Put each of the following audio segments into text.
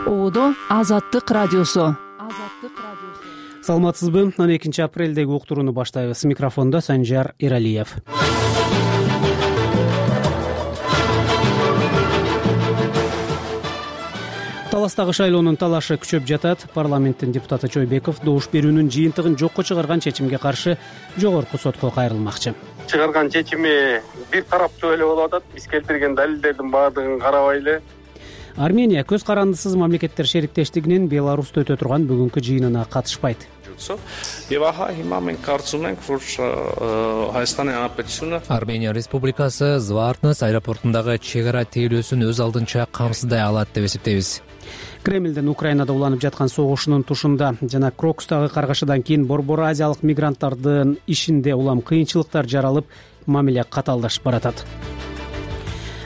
Ободо Азаттык радиосу. Саламатсызбы? 12 апрелдеги уктурууну баштайбыз. Микрофондо Санжар Иралиев. Таластагы шайлоонун талашы күчөп жатат. Парламенттин депутаты Чойбеков добуш берүүнүн жыйынтыгын жокко чыгарган чечимге каршы жогорку сотко кайрылмакчы. Чыгарган чечими бир тараптуу эле болуп атат. Биз келтирген далилдердин баардыгын карабай эле. Армения көз карандысыз мамлекеттер шериктештигинин Беларусьта өтө турган бүгүнкү жыйынына катышпайт. Армения Республикасы Звартнес аэропортундагы чек ара тейлөөсүн өз алдынча камсыздай алат деп эсептейбиз. Кремлдин Украинада уланып жаткан согушунун тушунда жана Крокустагы каргашадан кийин борбор азиялык мигранттардын ишинде улам кыйынчылыктар жаралып, мамиле каталдашып баратат.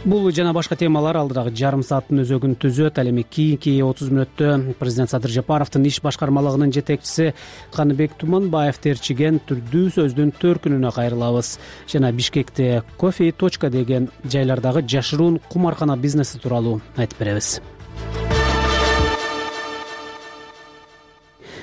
Бул жана башка темалар алдыдагы жарым сааттын өзөгүн түзөт. Ал эми кийинки 30 мүнөттө президент Садыр Жапаровдун иш башкармалыгынын жетекчиси Каныбек Туманбаев терчиген түрдүү сөздүн төркүнүнө кайрылабыз. Жана Бишкекте кофе точка деген жайлардагы жашыруун кумаркана бизнеси тууралуу айтып беребиз.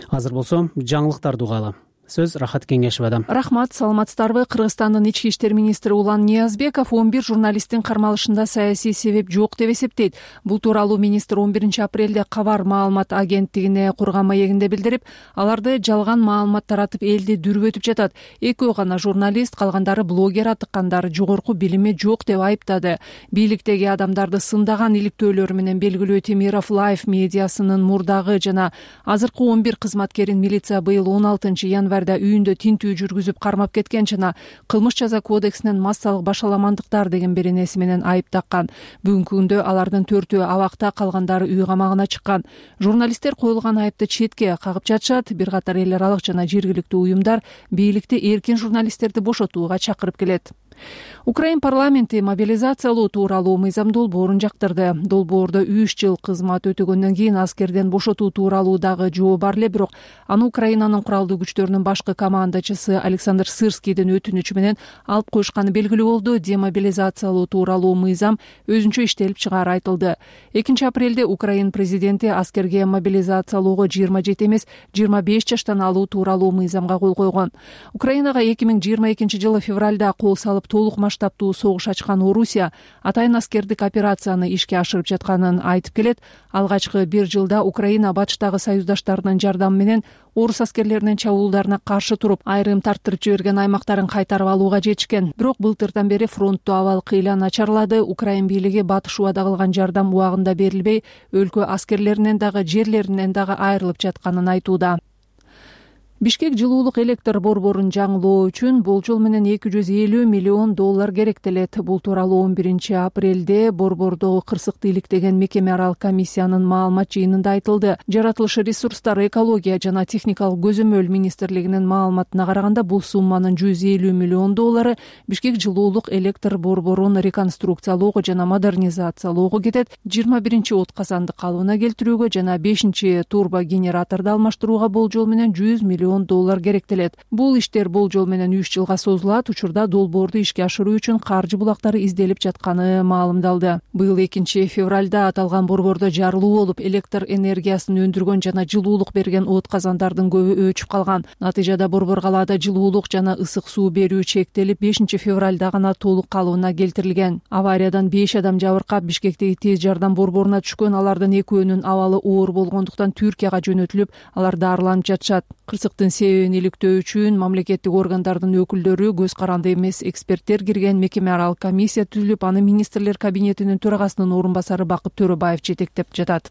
Азыр болсо жаңылыктарды угалы. Сөз Рахат Кеңешевада. Рахмат, саламатсыздарбы? Кыргызстандын ички иштер министри Улан Ниязбеков 11 журналисттин кармалышында саясий себеп жок деп эсептейт. Бул тууралуу министр 11 апрелде Кабар маалымат агенттигине курган маегинде билдирип, аларды жалган маалымат таратып элди дүрбөтүп жатат. Экөө гана журналист, калгандары блогер атыккандар жогорку билими жок деп айыптады. Бийликтеги адамдарды сындаган иликтөөлөр менен белгилүү Темиров Лайф медиасынын мурдагы жана азыркы 11 кызматкерин милиция быйыл 16 январь үйүндө тинтүү жүргүзүп кармап кеткен жана кылмыш жаза кодексинен массалык башаламандыктар деген беренеси менен айып таккан. Бүгүнкү күндө алардын 4-өө абакта, калгандары үй камагына чыккан. Журналисттер коюлган айыпты четке кагып жатышат. Бир катар эл аралык жана жергиликтүү уюмдар бийликти эркин журналисттерди бошотууга чакырып келет. Украин парламенти мобилизациялоо тууралуу мыйзам долбоорун жактырды. Долбоордо 3 жыл кызмат өтөгөндөн кийин аскерден бошотуу тууралуу дагы жоо бар эле, бирок аны Украинанын куралдуу күчтөрүнүн башкы командачысы Александр Сырскийдин өтүнүчү менен алып коюшканы белгилүү болду. Демобилизациялоо тууралуу мыйзам өзүнчө иштелип чыгаары айтылды. 2 апрелде Украин президенти аскерге мобилизациялоого 27 эмес 25 жаштан алуу тууралуу мыйзамга кол койгон. Украинага 2022 жылы февралда кол салып толук масштабтуу согуш ачкан Орусия атайын аскердик операцияны ишке ашырып жатканын айтып келет. Алгачкы 1 жылда Украина батыштагы союздаштарынын жардамы менен орус аскерлеринин чабуулдарына каршы туруп, айрым тарттырып жиберген аймактарын кайтарып алууга жетишкен. Бирок былтырдан бери фронтту абал кыйла начарлады. Украин бийлиги батыш убада кылган жардам убагында берилбей, өлкө аскерлеринен дагы жерлеринен дагы айрылып жатканын айтууда. Бишкек жылуулук электр борборун жаңылоо үчүн болжол менен $250 миллион керектелет. Бул тууралуу 11 апрелде борбордогу кырсыктуулук деген мекеме аралык комиссиянын маалымат жыйынында айтылды. Жаратылыш ресурстар, экология жана техникалык көзөмөл министрлигинин маалыматына караганда, бул сумманын $150 миллион Бишкек жылуулук электр борборун реконструкциялоого жана модернизациялоого кетет. 21 от казанды калыбына келтирүүгө жана 5 турбогенераторду алмаштырууга болжол менен $100 миллион керектелет. Бул иштер болжол менен 3 жылга созулат. Учурда долбоорду ишке ашыруу үчүн каржы булактары изделип жатканы маалымдалды. Быйыл 2 февралда аталган борбордо жарылуу болуп, электр энергиясын өндүргөн жана жылуулук берген от казандардын көбү өчүп калган. Натыйжада борбор калаада жылуулук жана ысык суу берүү чектелип, 5 февралда гана толук калыбына келтирилген. Авариядан 5 адам жабыркап, Бишкектеги тез жардам борборуна түшкөн. Алардын экөөнүн абалы оор болгондуктан Түркияга жөнөтүлүп, алар дарыланып жатышат. Кырсыктын себебин иликтөө үчүн мамлекеттик органдардын өкүлдөрү, көз каранды эмес эксперттер кирген мекеме аралык комиссия түзүлүп, аны министрлер кабинетинин төрагасынын орун басары Бакыт Төрөбаев жетектеп жатат.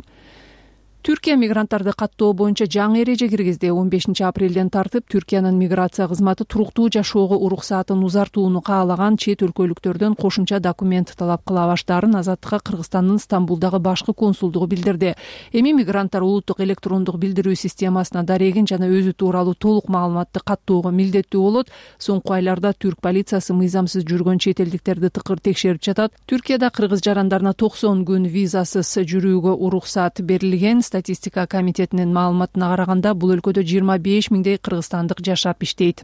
Түркия мигранттарды каттоо боюнча жаңы эреже киргизди. 15 апрелден тартып Түркиянын миграция кызматы туруктуу жашоого уруксаатын узартууну каалаган чет өлкөлүктөрдөн кошумча документ талап кыла баштаарын Азаттыкка Кыргызстандын Стамбулдагы башкы консулдугу билдирди. Эми мигранттар улуттук электрондук билдирүү системасына дарегин жана өзү тууралуу толук маалыматты каттоого милдеттүү болот. Соңку айларда түрк полициясы мыйзамсыз жүргөн чет элдиктерди тыкыр текшерип жатат. Түркияда кыргыз жарандарына 90 күн визасыз жүрүүгө уруксаат берилген. Статистика комитетинин маалыматына караганда, бул өлкөдө 25 миңдей кыргызстандык жашап иштейт.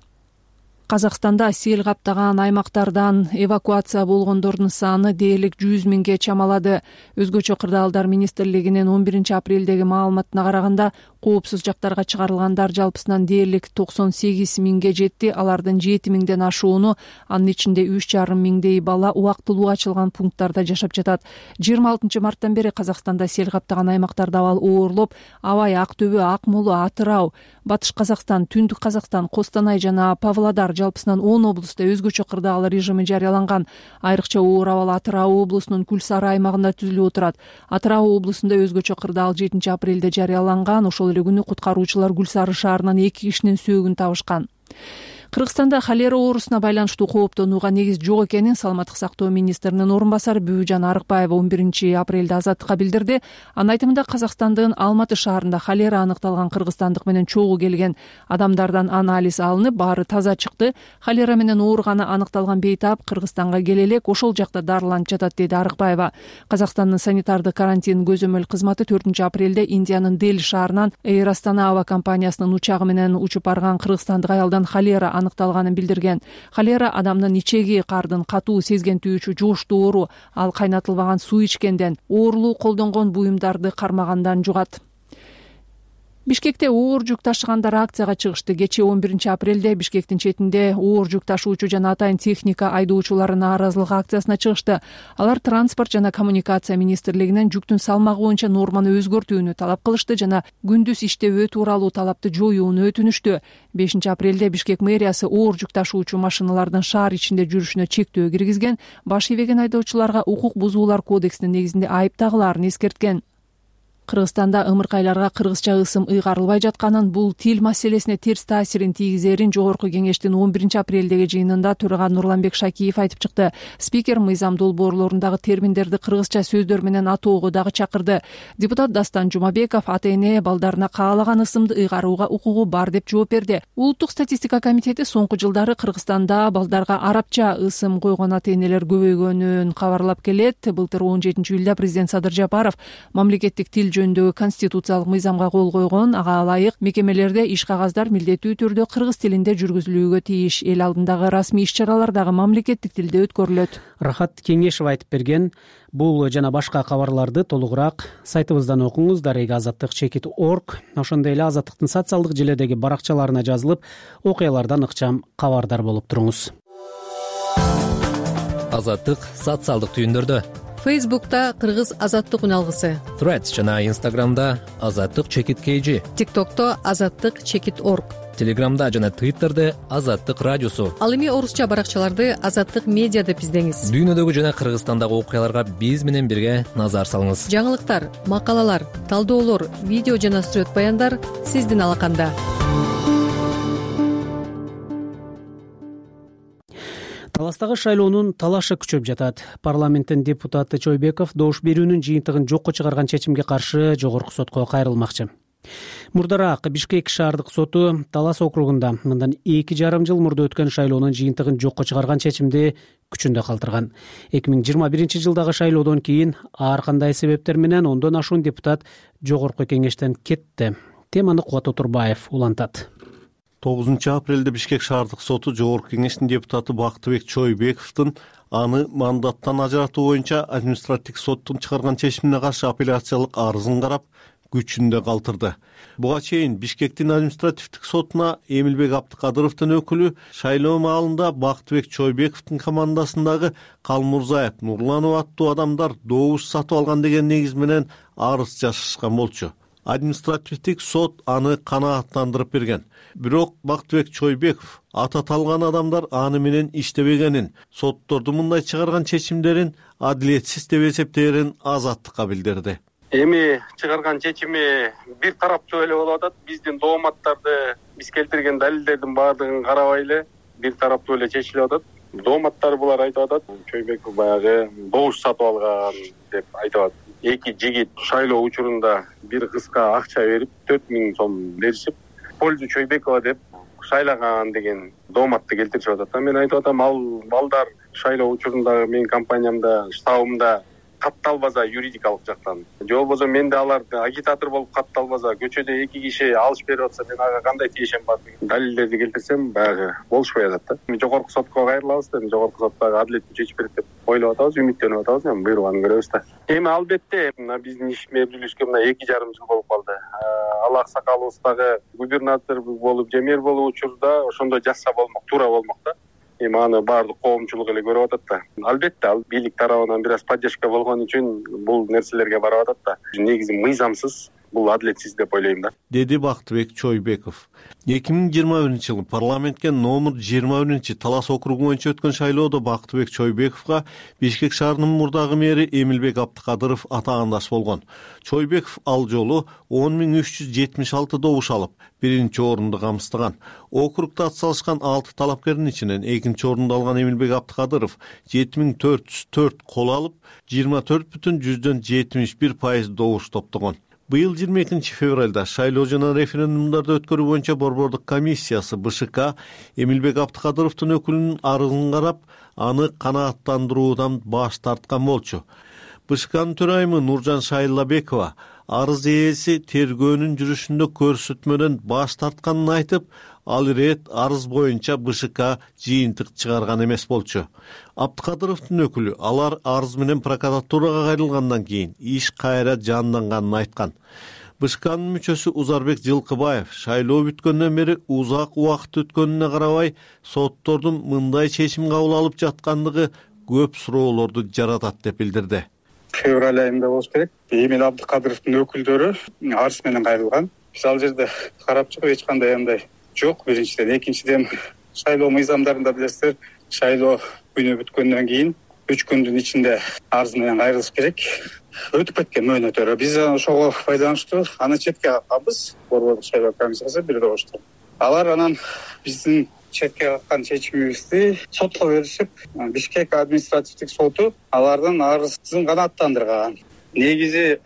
Казакстанда сел каптаган аймактардан эвакуация болгондордун саны дээрлик 100 миңге чамалады. Өзгөчө кырдаалдар министрлигинин 11 апрелдеги маалыматына караганда коопсуз жактарга чыгарылгандар жалпысынан дээрлик 98 миңге жетти. Алардын 7 миңден ашууну, анын ичинде 3,5 миңдей бала убактылуу ачылган пункттарда жашап жатат. 26 марттан бери Казакстанда сел каптаган аймактарда абал оорлоп, Абай, Ак Төбө, Акмола, Атырау, Батыш Казакстан, Түндүк Казакстан, Костанай жана Павлодар жалпысынан 10 облустта өзгөчө кырдаал режими жарыяланган. Айрыкча оор абал Атырау облусунун Күл Сары аймагында түзүлүп отурат. Атырау облусунда өзгөчө кырдаал 7 апрелде жарыяланган. Ошол эле күнү куткаруучулар Күл Сары шаарынан 2 кишинин сөөгүн табышкан. Кыргызстанда холера оорусуна байланыштуу кооптонууга негиз жок экенин саламаттык сактоо министринин орун басары Бүбүжан Арыкбаева 11 апрелде Азаттыкка билдирди. Анын айтымында Казакстандын Алматы шаарында холера аныкталган кыргызстандык менен чогуу келген адамдардан анализ алынып, баары таза чыкты. Холера менен ооруганы аныкталган бейтап Кыргызстанга келе элек ошол жакта дарыланып жатат, деди Арыкбаева. Казакстандын санитардык карантин көзөмөл кызматы 4 апрелде Индиянын Дели шаарынан Air Astana аба компаниясынын учагы менен учуп барган кыргызстандык аялдан холера аныкталганын билдирген. Холера адамдын ичеги кардын катуу сезгентүүчү жугуштуу оору, ал кайнатылбаган суу ичкенден, оорулуу колдонгон буюмдарды кармагандан жугат. Бишкекте оор жүк ташыгандар акцияга чыгышты. Кечээ 11 апрелде Бишкектин четинде оор жүк ташуучу жана атайын техника айдоочулары нааразылык акциясына чыгышты. Алар транспорт жана коммуникация министрлигинен жүктүн салмагы боюнча норманы өзгөртүүнү талап кылышты жана күндүз иштебөө тууралуу талапты жоюуну өтүнүштү. 5 апрелде Бишкек мэриясы оор жүк ташуучу машиналардын шаар ичинде жүрүшүнө чектөө киргизген, баш ийбеген айдоочуларга укук бузуулар кодексинин негизинде айып тагылаарын эскерткен. Кыргызстанда ымыркайларга кыргызча ысым ыйгарылбай жатканын, бул тил маселесине терс таасирин тийгизерин Жогорку кеңештин 11 апрелдеги жыйынында төрага Нурланбек Шакиев айтып чыкты. Спикер мыйзам долбоорлорундагы терминдерди кыргызча сөздөр менен атоого дагы чакырды. Депутат Дастан Жумабеков ата-эне балдарына каалаган ысымды ыйгарууга укугу бар деп жооп берди. Улуттук статистика комитети соңку жылдары Кыргызстанда балдарга арабча ысым койгон ата-энелер көбөйгөнүн кабарлап келет. Былтыр 17 июлда президент Садыр Жапаров мамлекеттик тил жөнүндөгү конституциялык мыйзамга кол койгон. Ага ылайык мекемелерде иш кагаздар милдеттүү түрдө кыргыз тилинде жүргүзүлүүгө тийиш. Эл алдындагы расмий иш-чаралар дагы мамлекеттик тилде өткөрүлөт. Рахат Кеңешев айтып берген. Бул жана башка кабарларды толугураак сайтыбыздан окуңуз. Дарега azattik.org. Ошондой эле Азаттыктын социалдык желедеги баракчаларына жазылып, окуялардан ыкчам кабардар болуп туруңуз. Азаттык социалдык түйүндөрдө. Фейсбукта Кыргыз азаттык үналгысы, Threads жана Instagramда azattik_kg, ТикТокто azattik_org, Телеграмда жана Twitterде Азаттык радиосу. Ал эми орусча баракчаларды Азаттык медиа деп издеңиз. Дүйнөдөгү жана Кыргызстандагы окуяларга биз менен бирге назар салыңыз. Жаңылыктар, макалалар, талдоолор, видео жана сүрөт баяндар сиздин алаканда. Таластагы шайлоонун талашы күчөп жатат. Парламенттин депутаты Чойбеков добуш берүүнүн жыйынтыгын жокко чыгарган чечимге каршы жогорку сотко кайрылмакчы. Мурдараак Бишкек шаардык соту Талас округунда мындан 2,5 жыл мурда өткөн шайлоонун жыйынтыгын жокко чыгарган чечимди күчүндө калтырган. 2021 жылдагы шайлоодон кийин ар кандай себептер менен 10дон ашуун депутат жогорку кеңештен кетти. Теманы Кубат Отурбаев улантат. 9 апрелде Бишкек шаардык соту жогорку кеңештин депутаты Бактыбек Чойбековдун аны мандаттан ажыратуу боюнча административдик соттун чыгарган чечимине каршы апелляциялык арызын карап күчүндө калтырды. Буга чейин Бишкектин административдик сотуна Эмилбек Абдыкадыровдун өкүлү шайлоо маалында Бактыбек Чойбековдун командасындагы Калмурзаев, Нурланов аттуу адамдар добуш сатып алган деген негиз менен арыз жазышкан болчу. Административдик сот аны канааттандырып берген. Бирок Бактыбек Чойбеков аталган адамдар аны менен иштебегенин, соттордун мындай чыгарган чечимдерин адилетсиз деп эсептээрин Азаттыкка билдирди. Эми чыгарган чечими бир тараптуу эле болуп атат. Биздин дооматтарды, биз келтирген далилдердин баардыгын карабай эле бир тараптуу эле чечилип атат. Дооматтар булар айтып атат, Чойбеков баягы добуш сатып алган деп айтып атат. Эки жигит шайлоо учурунда бир кызга акча берип 4000 сом беришип, пользу Чойбекова деп шайлаган деген дооматты келтиришип атат. Мен айтып атам, ал балдар шайлоо учурунда менин компаниямда, штабымда катталбаса юридикалык жактан же болбосо менде аларды агитатор болуп катталбаса, көчөдө 2 киши алыш берип атса мен ага кандай тиешем бар деген далилдерди келтирсем баягы болушпай атат да. Жогорку сотко кайрылабыз да, жогорку сот баягы адилеттүү чечип берет деп ойлоп атабыз, үмүттөнүп атабыз. Эми буйруганы көрөбүз да. Эми албетте мына биздин иш мерилишке мына 2,5 жыл болуп калды. Ал аксакалыбыз дагы губернатор болуп же мэр болуу учурда ошондой жазса болмок, туура болмок да. Эми аны баардык коомчулук эле көрүп атат да. Албетте ал бийлик тарабынан бир аз поддержка болгон үчүн бул нерселерге барып атат да. Негизи мыйзамсыз, бул адилетсиз деп ойлойм да, деди Бактыбек Чойбеков. 2021-жылы парламентке номер 21-Талас округу боюнча өткөн шайлоодо Бактыбек Чойбековго Бишкек шаарынын мурдагы мэри Эмилбек Абдыкадыров атаандаш болгон. Чойбеков ал жолу 10.376 добуш алып, 1-орунду камсыздаган. Округда ат салышкан 6 талапкердин ичинен 2 орунду алган Эмилбек Абдыкадыров 7.404 кол алып, 24,71% добуш топтогон. Быйыл 22 февралда шайлоо жана референдумдарды өткөрүү боюнча Борбордук комиссиясы БШК Эмилбек Абдыкадыровдун өкүлүнүн арызын карап, аны канааттандыруудан баш тарткан болчу. БШКнын төрайымы Нуржан Шайлабекова арыз ээси тергөөнүн жүрүшүндө көрсөтмөдөн баш тартканын айтып, ал ирет арыз боюнча БШК жыйынтык чыгарган эмес болчу. Абдыкадыровдун өкүлү алар арыз менен прокуратурага кайрылгандан кийин иш кайра жанданганын айткан. БШКнын мүчөсү Узарбек Жылкыбаев шайлоо бүткөндөн бери узак убакыт өткөнүнө карабай, соттордун мындай чечим кабыл алып жаткандыгы көп суроолорду жаратат деп билдирди. Февраль айында болуш керек. Эмил Абдыкадыровдун өкүлдөрү арыз менен кайрылган. Биз ал жерде карап чыгып эч кандай андай жок. Биринчиден, экинчиден шайлоо мыйзамдарында билесиздер, шайлоо күнү бүткөндөн кийин 3 күндүн ичинде арыз менен кайрылыш керек. Өтүп кеткен мөөнөттөрү. Биз ошого пайдаланышты аны четке какканбыз. Борбордук шайлоо комиссиясы бир добушту. Алар анан биздин четке каккан чечимибизди сотко беришип, Бишкек административдик соту алардын арызын канааттандырган. Негизи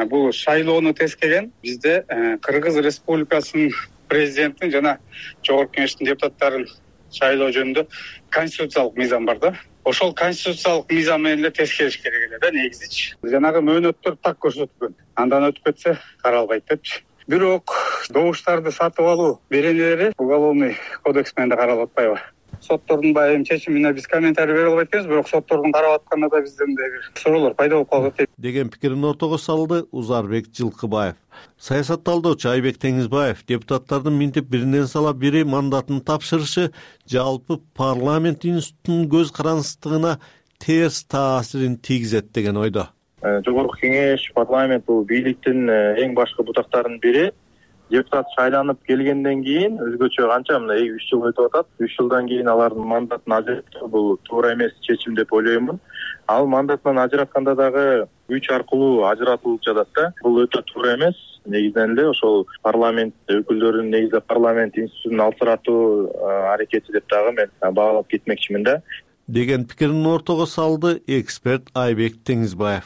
бул шайлоону тескеген бизде Кыргыз Республикасынын президентин жана Жогорку Кеңештин депутаттарын шайлоо жөнүндө конституциялык мыйзам бар да. Ошол конституциялык мыйзам менен эле тескериш керек эле да негизичи. Жанагы мөөнөттөр так көрсөткөн. Андан өтүп кетсе каралбайт депчи. Бирок добуштарды сатып алуу беренелери уголовный кодекс менен да каралып атпайбы? Соттордун баягы чечимине биз комментарий бере албайт экенбиз, бирок соттордун карап атканда да бизден бир суроолор пайда болуп калат деген пикирин ортого салды Узарбек Жылкыбаев. Саясатталдоочу Айбек Теңизбаев депутаттардын минтип биринен сала бири мандатын тапшырышы жалпы парламент институтунун көз карансыздыгына терс таасирин тийгизет деген ойдо. Жогорку Кеңеш, парламент бул бийликтин эң башкы бутактарынын бири. Депутат шайланып келгенден кийин өзгөчө канча мына 3 жыл өтүп атат. 3 жылдан кийин алардын мандатын ажыратуу бул туура эмес чечим деп ойлоймун. Ал мандатынан ажыратканда дагы күч аркылуу ажыратылып жатат да. Бул өтө туура эмес. Негизинен эле ошол парламент өкүлдөрүнүн негизде парламент институтун алсыратуу аракети деп дагы мен баалап кетмекчимин да. Деген пикирин ортого салды эксперт Айбек Теңизбаев.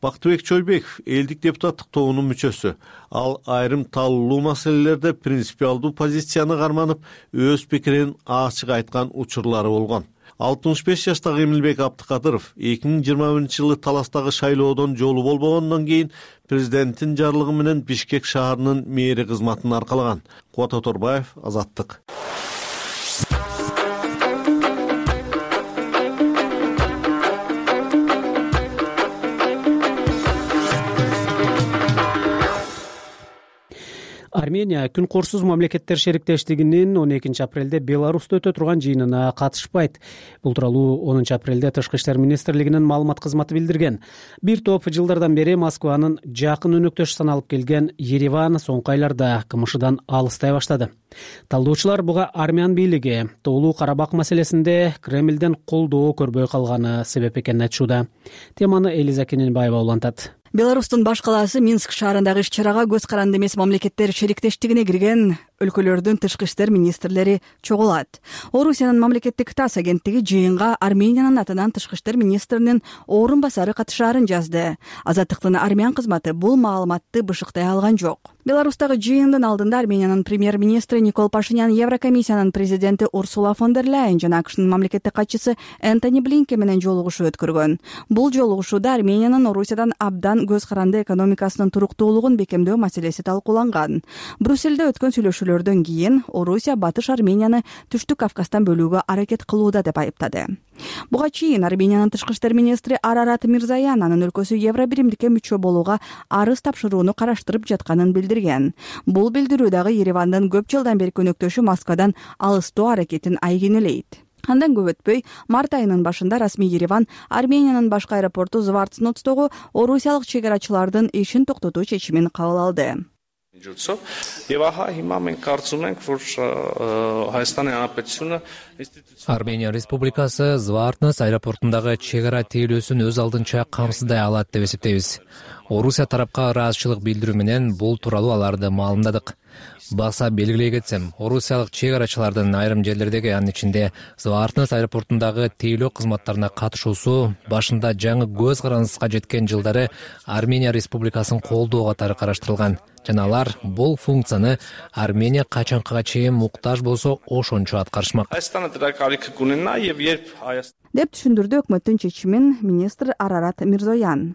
Бактыбек Чойбеков элдик депутаттык тобунун мүчөсү. Ал айрым талкуулуу маселелерде принципиалдуу позицияны карманып, өз пикирин ачык айткан учурлары болгон. 65 жаштагы Эмилбек Абдыкадыров 2021-жылы Таластагы шайлоодон жолу болбогондон кийин президенттин жарлыгы менен Бишкек шаарынын мэри кызматын аркалаган. Кубат Оторбаев, Азаттык. Армения күн корсуз мамлекеттер шериктештигинин 12 апрелде Беларусьта өтө турган жыйынына катышпайт. Бул тууралуу 10 апрелде Тышкы иштер министрлигинин маалымат кызматы билдирген. Бир топ жылдардан бери Москванын жакын өнөктөшү саналып келген Ереван соңку айларда КМШдан алыстай баштады. Талдоочулар буга армян бийлиги Тоолуу Карабак маселесинде Кремлден колдоо көрбөй калганы себеп экенин айтышууда. Теманы Элиза Кененбаева улантат. Беларустун баш калаасы Минск шаарындагы иш-чарага көз каранды эмес мамлекеттер шериктештигине кирген өлкөлөрдүн тышкы иштер министрлери чогулат. Орусиянын мамлекеттик ТАСС агенттиги жыйынга Армениянын атынан тышкы иштер министринин орун басары катышаарын жазды. Азаттыктын армян кызматы бул маалыматты бышыктай алган жок. Беларустагы жыйындын алдында Армениянын премьер-министри Никол Пашинян Еврокомиссиянын президенти Урсула фон дер Ляйен жана АКШнын мамлекеттик катчысы Энтони Блинкен менен жолугушуу өткөргөн. Бул жолугушууда Армениянын Орусиядан абдан көз каранды экономикасынын туруктуулугун бекемдөө маселеси талкууланган. Брюссельде өткөн сүйлөшүүлөрдөн кийин Орусия Батыш Арменияны Түштүк Кавказдан бөлүүгө аракет кылууда деп айыптады. Буга чейин Армениянын тышкы иштер министри Арарат Мирзоян анын өлкөсү Евробиримдикке мүчө болууга арыз тапшырууну караштырып жатканын билдирген. Бул билдирүү дагы Еревандын көп жылдан бери көнөктөшү Москвадан алыстоо аракетин айгинелейт. Андан көп өтпөй, март айынын башында расмий Ереван Армениянын башкы аэропорту Звартсноцтогу орусиялык чегарачылардын ишин токтотуу чечимин кабыл алды. Армения Республикасы Звартнос аэропортундагы чегара тейлөөсүн өз алдынча камсыздай алат деп эсептейбиз. Орусия тарапка ыраазычылык билдирүү менен бул тууралуу аларды маалымдадык. Баса белгилей кетсем, орусиялык чегарачылардын айрым жерлердеги, анын ичинде Звартнос аэропортундагы тейлөө кызматтарына катышуусу башында жаңы көз карандыска жеткен жылдары Армения Республикасын колдоо катары караштырылган. Жана алар бул функцияны Армения качанкага чейин муктаж болсо ошончо аткарышмак. Деп түшүндүрдү өкмөттүн чечимин министр Арарат Мирзоян.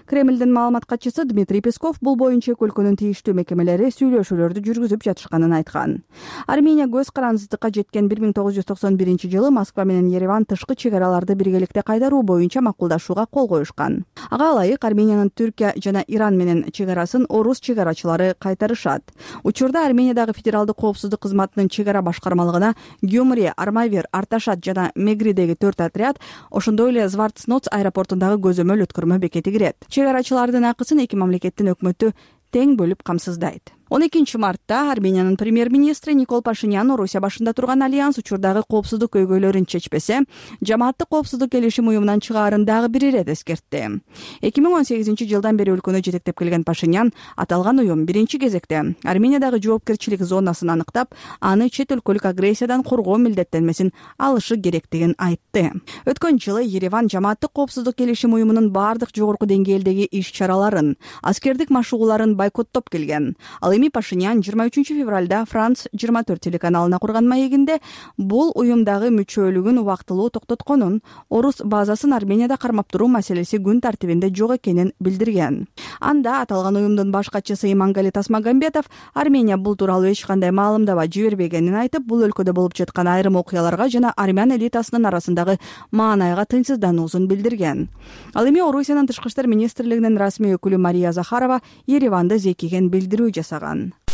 Кремлдин маалымат катчысы Дмитрий Песков бул боюнча эки өлкөнүн тийиштүү мекемелери сүйлөшүүлөрдү жүргүзүп жатышканын айткан. Армения көз карандысыздыкка жеткен 1991-жылы Москва менен Ереван тышкы чегараларды биргеликте кайдаруу боюнча макулдашууга кол коюшкан. Ага ылайык Армениянын Түркия жана Иран менен чегарасын орус чегарачылары кайтарышат. Учурда Армениядагы федералдык коопсуздук кызматынын чегара башкармалыгына Гюмри, Армавир, Арташат жана Мегридеги 4 отряд, ошондой эле Звартсноц аэропортундагы көзөмөл өткөрмө бекети кирет. Чегарачылардын акысын эки мамлекеттин өкмөтү тең бөлүп камсыздайт. 12-мартта Армениянын премьер-министри Никол Пашинян Орусия башында турган альянс учурдагы коопсуздук көйгөйлөрүн чечпесе, жамааттык коопсуздук келишим уюмунан чыгаарын дагы бир ирет эскертти. 2018-жылдан бери өлкөнү жетектеп келген Пашинян аталган уюм биринчи кезекте Армениядагы жоопкерчилик зонасын аныктап, аны чет өлкөлүк агрессиядан коргоо милдеттенмесин алышы керектигин айтты. Өткөн жылы Ереван жамааттык коопсуздук келишим уюмунун бардык жогорку деңгээлдеги иш-чараларын, аскердик машыгууларын бойкоттоп келген. Эми Пашинян 23 февралда Франц 24 телеканалына курган маегинде бул уюмдагы мүчөлүгүн убактылуу токтотконун, орус базасын Арменияда кармап туруу маселеси күн тартибинде жок экенин билдирген. Анда аталган уюмдун баш катчысы Имангали Тасмагамбетов Армения бул тууралуу эч кандай маалымдама жибербегенин айтып, бул өлкөдө болуп жаткан айрым окуяларга жана армян элитасынын арасындагы маанайга тынчсыздануусун билдирген. Ал эми Орусиянын тышкы иштер министрлигинин расмий өкүлү Мария Захарова Ереванды зекиген билдирүү жасаган.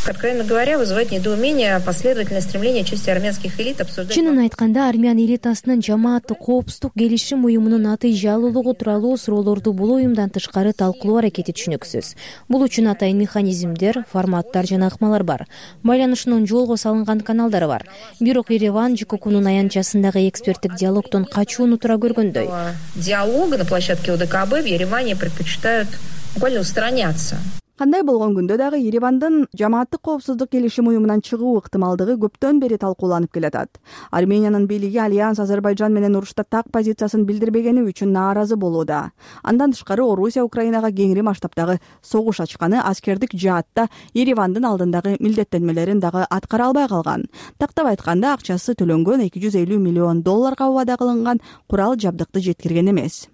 Откровенно говоря, вызывает недоумение последовательное стремление части армянских элит обсуждать... Чынын айтканда, армян элитасынын жамааттык коопсуздук келишим уюмунун атыйжалуулугу тууралуу суроолорду бул уюмдан тышкары талкуулоо аракети түшүнүксүз. Бул үчүн атайын механизмдер, форматтар жана ыкмалар бар. Байланышынын жолго салынган каналдары бар. Бирок Ереван ЖККнун аянтчасындагы эксперттик диалогдон качууну туура көргөндөй. Диалога на площадке ОДКБ в Ереване предпочитают буквально устраняться. Кандай болгон күндө дагы Еревандын жамааттык коопсуздук келишим уюмунан чыгуу ыктымалдыгы көптөн бери талкууланып келатат. Армениянын бийлиги альянс Азербайжан менен урушта так позициясын билдирбегени үчүн нааразы болууда. Андан тышкары Орусия Украинага кеңири масштабдагы согуш ачканы аскердик жаатта Еревандын алдындагы милдеттенмелерин дагы аткара албай калган. Тактап айтканда, акчасы төлөнгөн $250 миллион убада кылынган курал жабдыкты жеткирген эмес.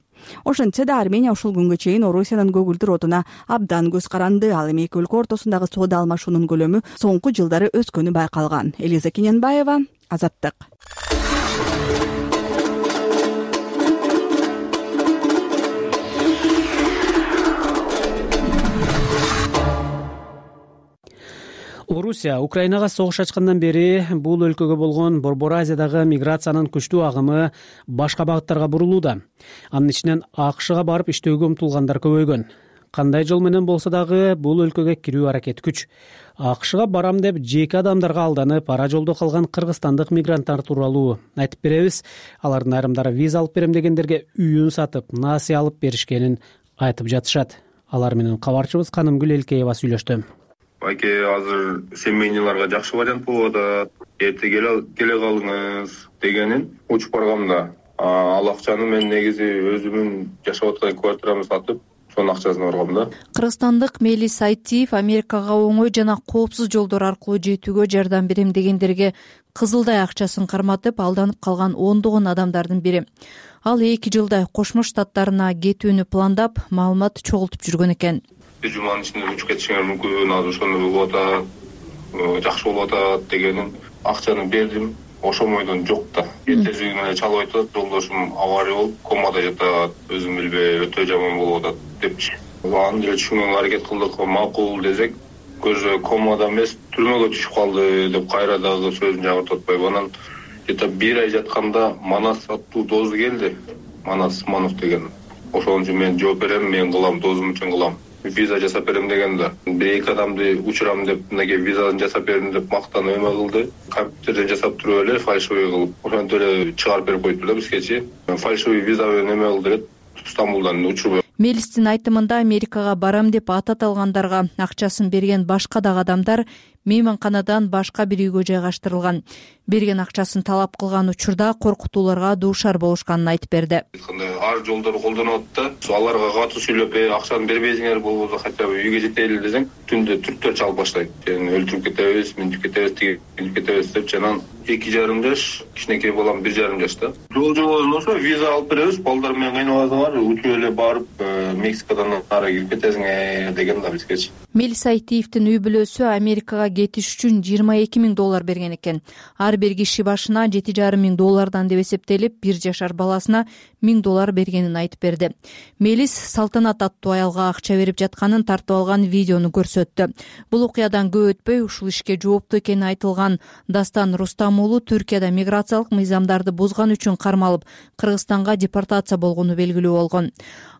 Ошентсе да Армения ушул күнгө чейин Орусиянын көгүлдүр отуна абдан көз каранды. Ал эми эки өлкө ортосундагы соода алмашуунун көлөмү соңку жылдары өскөнү байкалган. Элиза Кененбаева, Азаттык. Орусия Украинага согуш ачкандан бери бул өлкөгө болгон Борбор Азиядагы миграциянын күчтүү агымы башка багыттарга бурулууда. Анын ичинен АКШга барып иштөөгө умтулгандар көбөйгөн. Кандай жол менен болсо дагы бул өлкөгө кирүү аракети күч. АКШга барам деп жеке адамдарга алданып, ара жолдо калган кыргызстандык мигранттар тууралуу айтып беребиз. Алардын айрымдары виза алып берем дегендерге үйүн сатып, насыя алып беришкенин айтып жатышат. Алар менен кабарчыбыз Канымгүл Элкеева сүйлөштү. байке азыр семейныйларга жакшы вариант болуп атат, эрте келе калыңыз дегенин учуп баргам да. Ал акчаны мен негизи өзүмдүн жашап аткан квартирамды сатып, сонун акчасына баргам да. Кыргызстандык Мелис Айтиев Америкага оңой жана коопсуз жолдор аркылуу жетүүгө жардам берем дегендерге кызылдай акчасын карматып алданып калган ондогон адамдардын бири. Ал 2 жылдай Кошмо Штаттарына кетүүнү пландап, маалымат чогултуп жүргөн экен. Bir жуманын ичинде учуп кетишиңер мүмкүн, азыр ошону болуп атат, жакшы болуп атат дегенин акчаны бердим. Ошомойдон жок да. Эртеси күнү эле чалып айтат, жолдошум авария болуп, комада жатат, өзүм билбей өтө жаман болуп атат депчи. Аны деле түшүнгөнгө аракет кылдык, макул десек, көзү комада эмес, түрмөгө түшүп калды деп кайра дагы сөзүн жаңыртып атпайбы. Анан где-то 1 ай жатканда Манас аттуу дозу келди. Манас Манов деген. Ошон үчүн мен жооп берем, мен кылам, дозум үчүн кылам. Виза жасап берем деген да. 1-2 адамды учурам деп, мынакей визаны жасап бердим деп мактанып эме кылды. Компьютерден жасап туруп эле фальшивый кылып, ошентип эле чыгарып берип коюптур да бизгечи. Фальшивый виза менен эме кылды деп Стамбулдан учур. Мелистин айтымында Америкага барам деп атат алгандарга акчасын берген башка дагы адамдар мейманканадан башка бир үйгө жайгаштырылган. Берген акчасын талап кылган учурда коркутууларга дуушар болушканын айтып берди. Ар жолдорду колдонуп атат да. Аларга катуу сүйлөп, акчаны бербейсиңер болбосо хотя бы үйгө жетели десең, түндө түрктөр чалып баштайт. Сени өлтүрүп кетебиз, минтип кетебиз, тигип кетебиз деп жанан 2,5 жаш, кичинекей балам 1,5 жашта. Жол жобосун болсо виза алып беребиз, балдар менен кыйнабасыңар, учуп эле барып Мексикадан ары кирип кетесиңер деген да бизгечи. Мелис Айтиевдин үй бүлөсү Америкага кетиш үчүн $22,000 берген экен. Ар бир киши башына $7,500 деп эсептелип, 1 жашар баласына $1,000 бергенин айтып берди. Мелис Салтанат аттуу аялга акча берип жатканын тартып алган видеону көрсөттү. Бул окуядан көп өтпөй ушул ишке жооптуу экени айтылган Дастан Рустам уулу Түркияда миграциялык мыйзамдарды бузган үчүн кармалып, Кыргызстанга депортация болгону белгилүү болгон.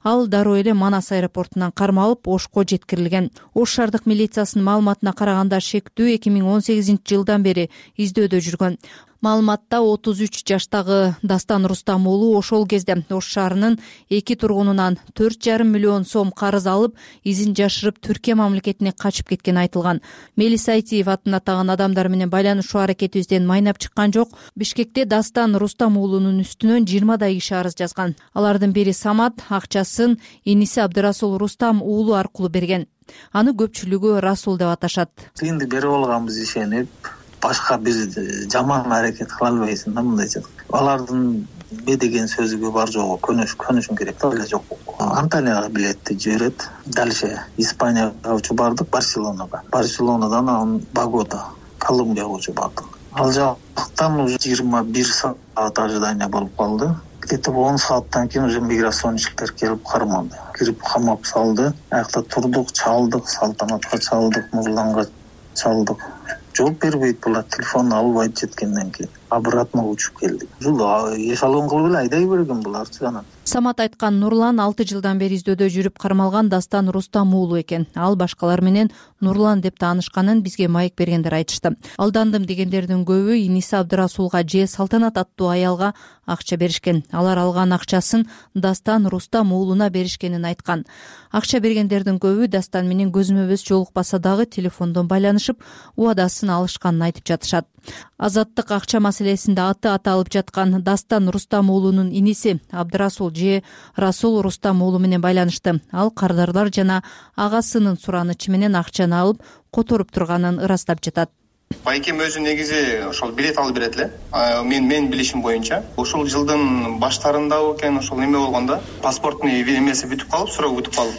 Ал дароо эле Манас аэропортунан кармалып, Ошко жеткирилген. Ош шаардык милициясынын маалыматына караганда шектүү 2018-жылдан бери издөөдө жүргөн. Маалыматта 33 жаштагы Дастан Рустам уулу ошол кезде Ош шаарынын 2 тургунунан 4,5 миллион сом карыз алып, изин жашырып Түркия мамлекетине качып кеткени айтылган. Мелис Айтиев атын атаган адамдар менен байланышуу аракетибизден майнап чыккан жок. Бишкекте Дастан Рустам уулунун үстүнөн 20 киши арыз жазган. Алардын бири Самат акчасын иниси Абдырасул Рустам уулу аркылуу берген. Аны көпчүлүгү Расул деп аташат. Тыйынды берип алганбыз ишенип, башка бир жаман аракет кыла албайсың да мындайча. Алардын деген сөзүгө бар жогу көнүшүм керек да, эле жок. Анталияга билетти жиберет. Дальше Испанияга учуп бардык, Барселонага. Барселонадан анан Богота, Колумбияга учуп бардык. Ал жактан уже 21 саат ожидание болуп калды. Где-то 10 сааттан кийин уже миграциончиктер келип кармады. Кирип камап салды. Аякта турдук, чалдык, Салтанатка чалдык, Нурланга чалдык. Жооп бербейт булар, телефон албайт жеткенден кийин. Обратно учуп келдик. Ушул эшалон кылып эле айдай берген буларчы анан. Самат айткан Нурлан 6 жылдан бери издөөдө жүрүп кармалган Дастан Рустам уулу экен. Ал башкалар менен Нурлан деп таанышканын бизге маек бергендер айтышты. Алдандым дегендердин көбү иниси Абдырасулга же Салтанат аттуу аялга акча беришкен. Алар алган акчасын Дастан Рустам уулуна беришкенин айткан. Акча бергендердин көбү Дастан менен көзмө көз жолукпаса дагы телефондон байланышып, убадасын алышканын айтып жатышат. Азаттык акча маселесинде аты аталып жаткан Дастан Рустам уулунун иниси Абдырасул же Расул Рустам уулу менен байланышты. Ал кардарлар жана агасынын суранычы менен акчаны алып которуп турганын ырастап жатат. Байкем өзү негизи ошол билет алып берет эле. Мен билишим боюнча, ушул жылдын баштарында экен, ошол эме болгондо, паспорттун эмеси бүтүп калып, срогу бүтүп калып,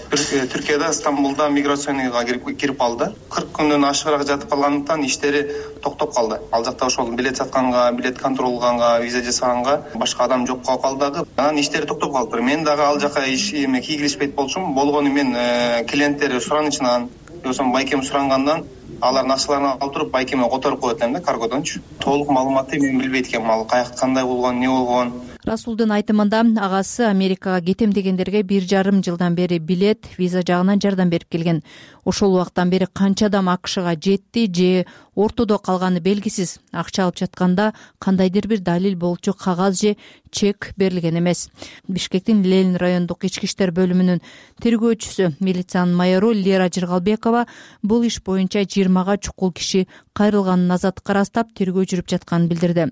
Түркияда Стамбулда миграционияга кирип калды. 40 күндөн ашыгыраак жатып калгандыктан иштери токтоп калды. Ал жакта ошол билет сатканга, билет контролганга, виза жасаганга башка адам жок калып калды. Анан иштери токтоп калды. Мен дагы ал жака кийгилишпейт болчумун. Болгону мен клиенттер суранычынан, жоксо байкем сурангандан алардын акчаларын алып туруп байкеме которуп коет элем да, каргодончу. Толук маалыматты мен билбейт экенмин, ал каякта кандай болгон, эмне болгон. Расулдун айтымында агасы Америкага кетем дегендерге 1,5 жылдан бери билет, виза жагынан жардам берип келген. Ошол убактан бери канча адам АКШга жетти же ортодо калганы белгисиз. Акча алып жатканда кандайдыр бир далил болчу кагаз же чек берилген эмес. Бишкектин Ленин райондук ички иштер бөлүмүнүн тергөөчүсү, милициянын майору Лера Жыргалбекова бул иш боюнча 20га чукул киши кайрылганын азаттыкка ырастап тергөө жүрүп жатканын билдирди.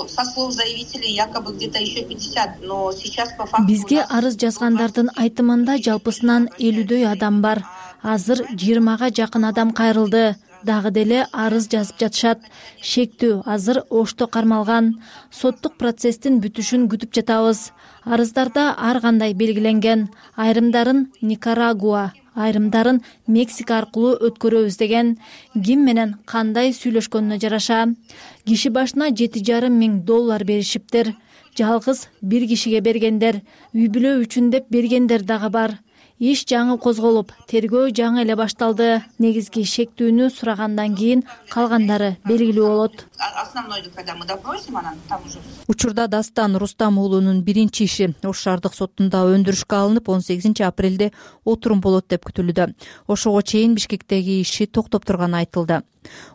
Со слов заявителей якобы где-то еще 50, но сейчас по факту бизге арыз жазгандардын айтымында жалпысынан 50дөй адам бар. Азыр 20га жакын адам кайрылды. Дагы деле арыз жазып жатышат. Шектүү азыр Ошто кармалган. Соттук процесстин бүтүшүн күтүп жатабыз. Арыздарда ар кандай белгиленген. Айрымдарын Никарагуа, айрымдарын Мексика аркылуу өткөрөбүз деген. Ким менен кандай сүйлөшкөнүнө жараша. Киши башына $7,500 беришиптир. Жалгыз бир кишиге бергендер, үй бүлө үчүн деп бергендер дагы бар. Иш жаңы козголуп, тергөө жаңы эле башталды. Негизги шектүүнү сурагандан кийин калгандары белгилүү болот. Основной, когда мы допросим, она там уже. Учурда Дастан Рустам уулунун биринчи иши Ош шаардык сотунда өндүрүшкө алынып, 18 апрелде отурум болот деп күтүлүүдө. Ошого чейин Бишкектеги иши токтоп турганы айтылды.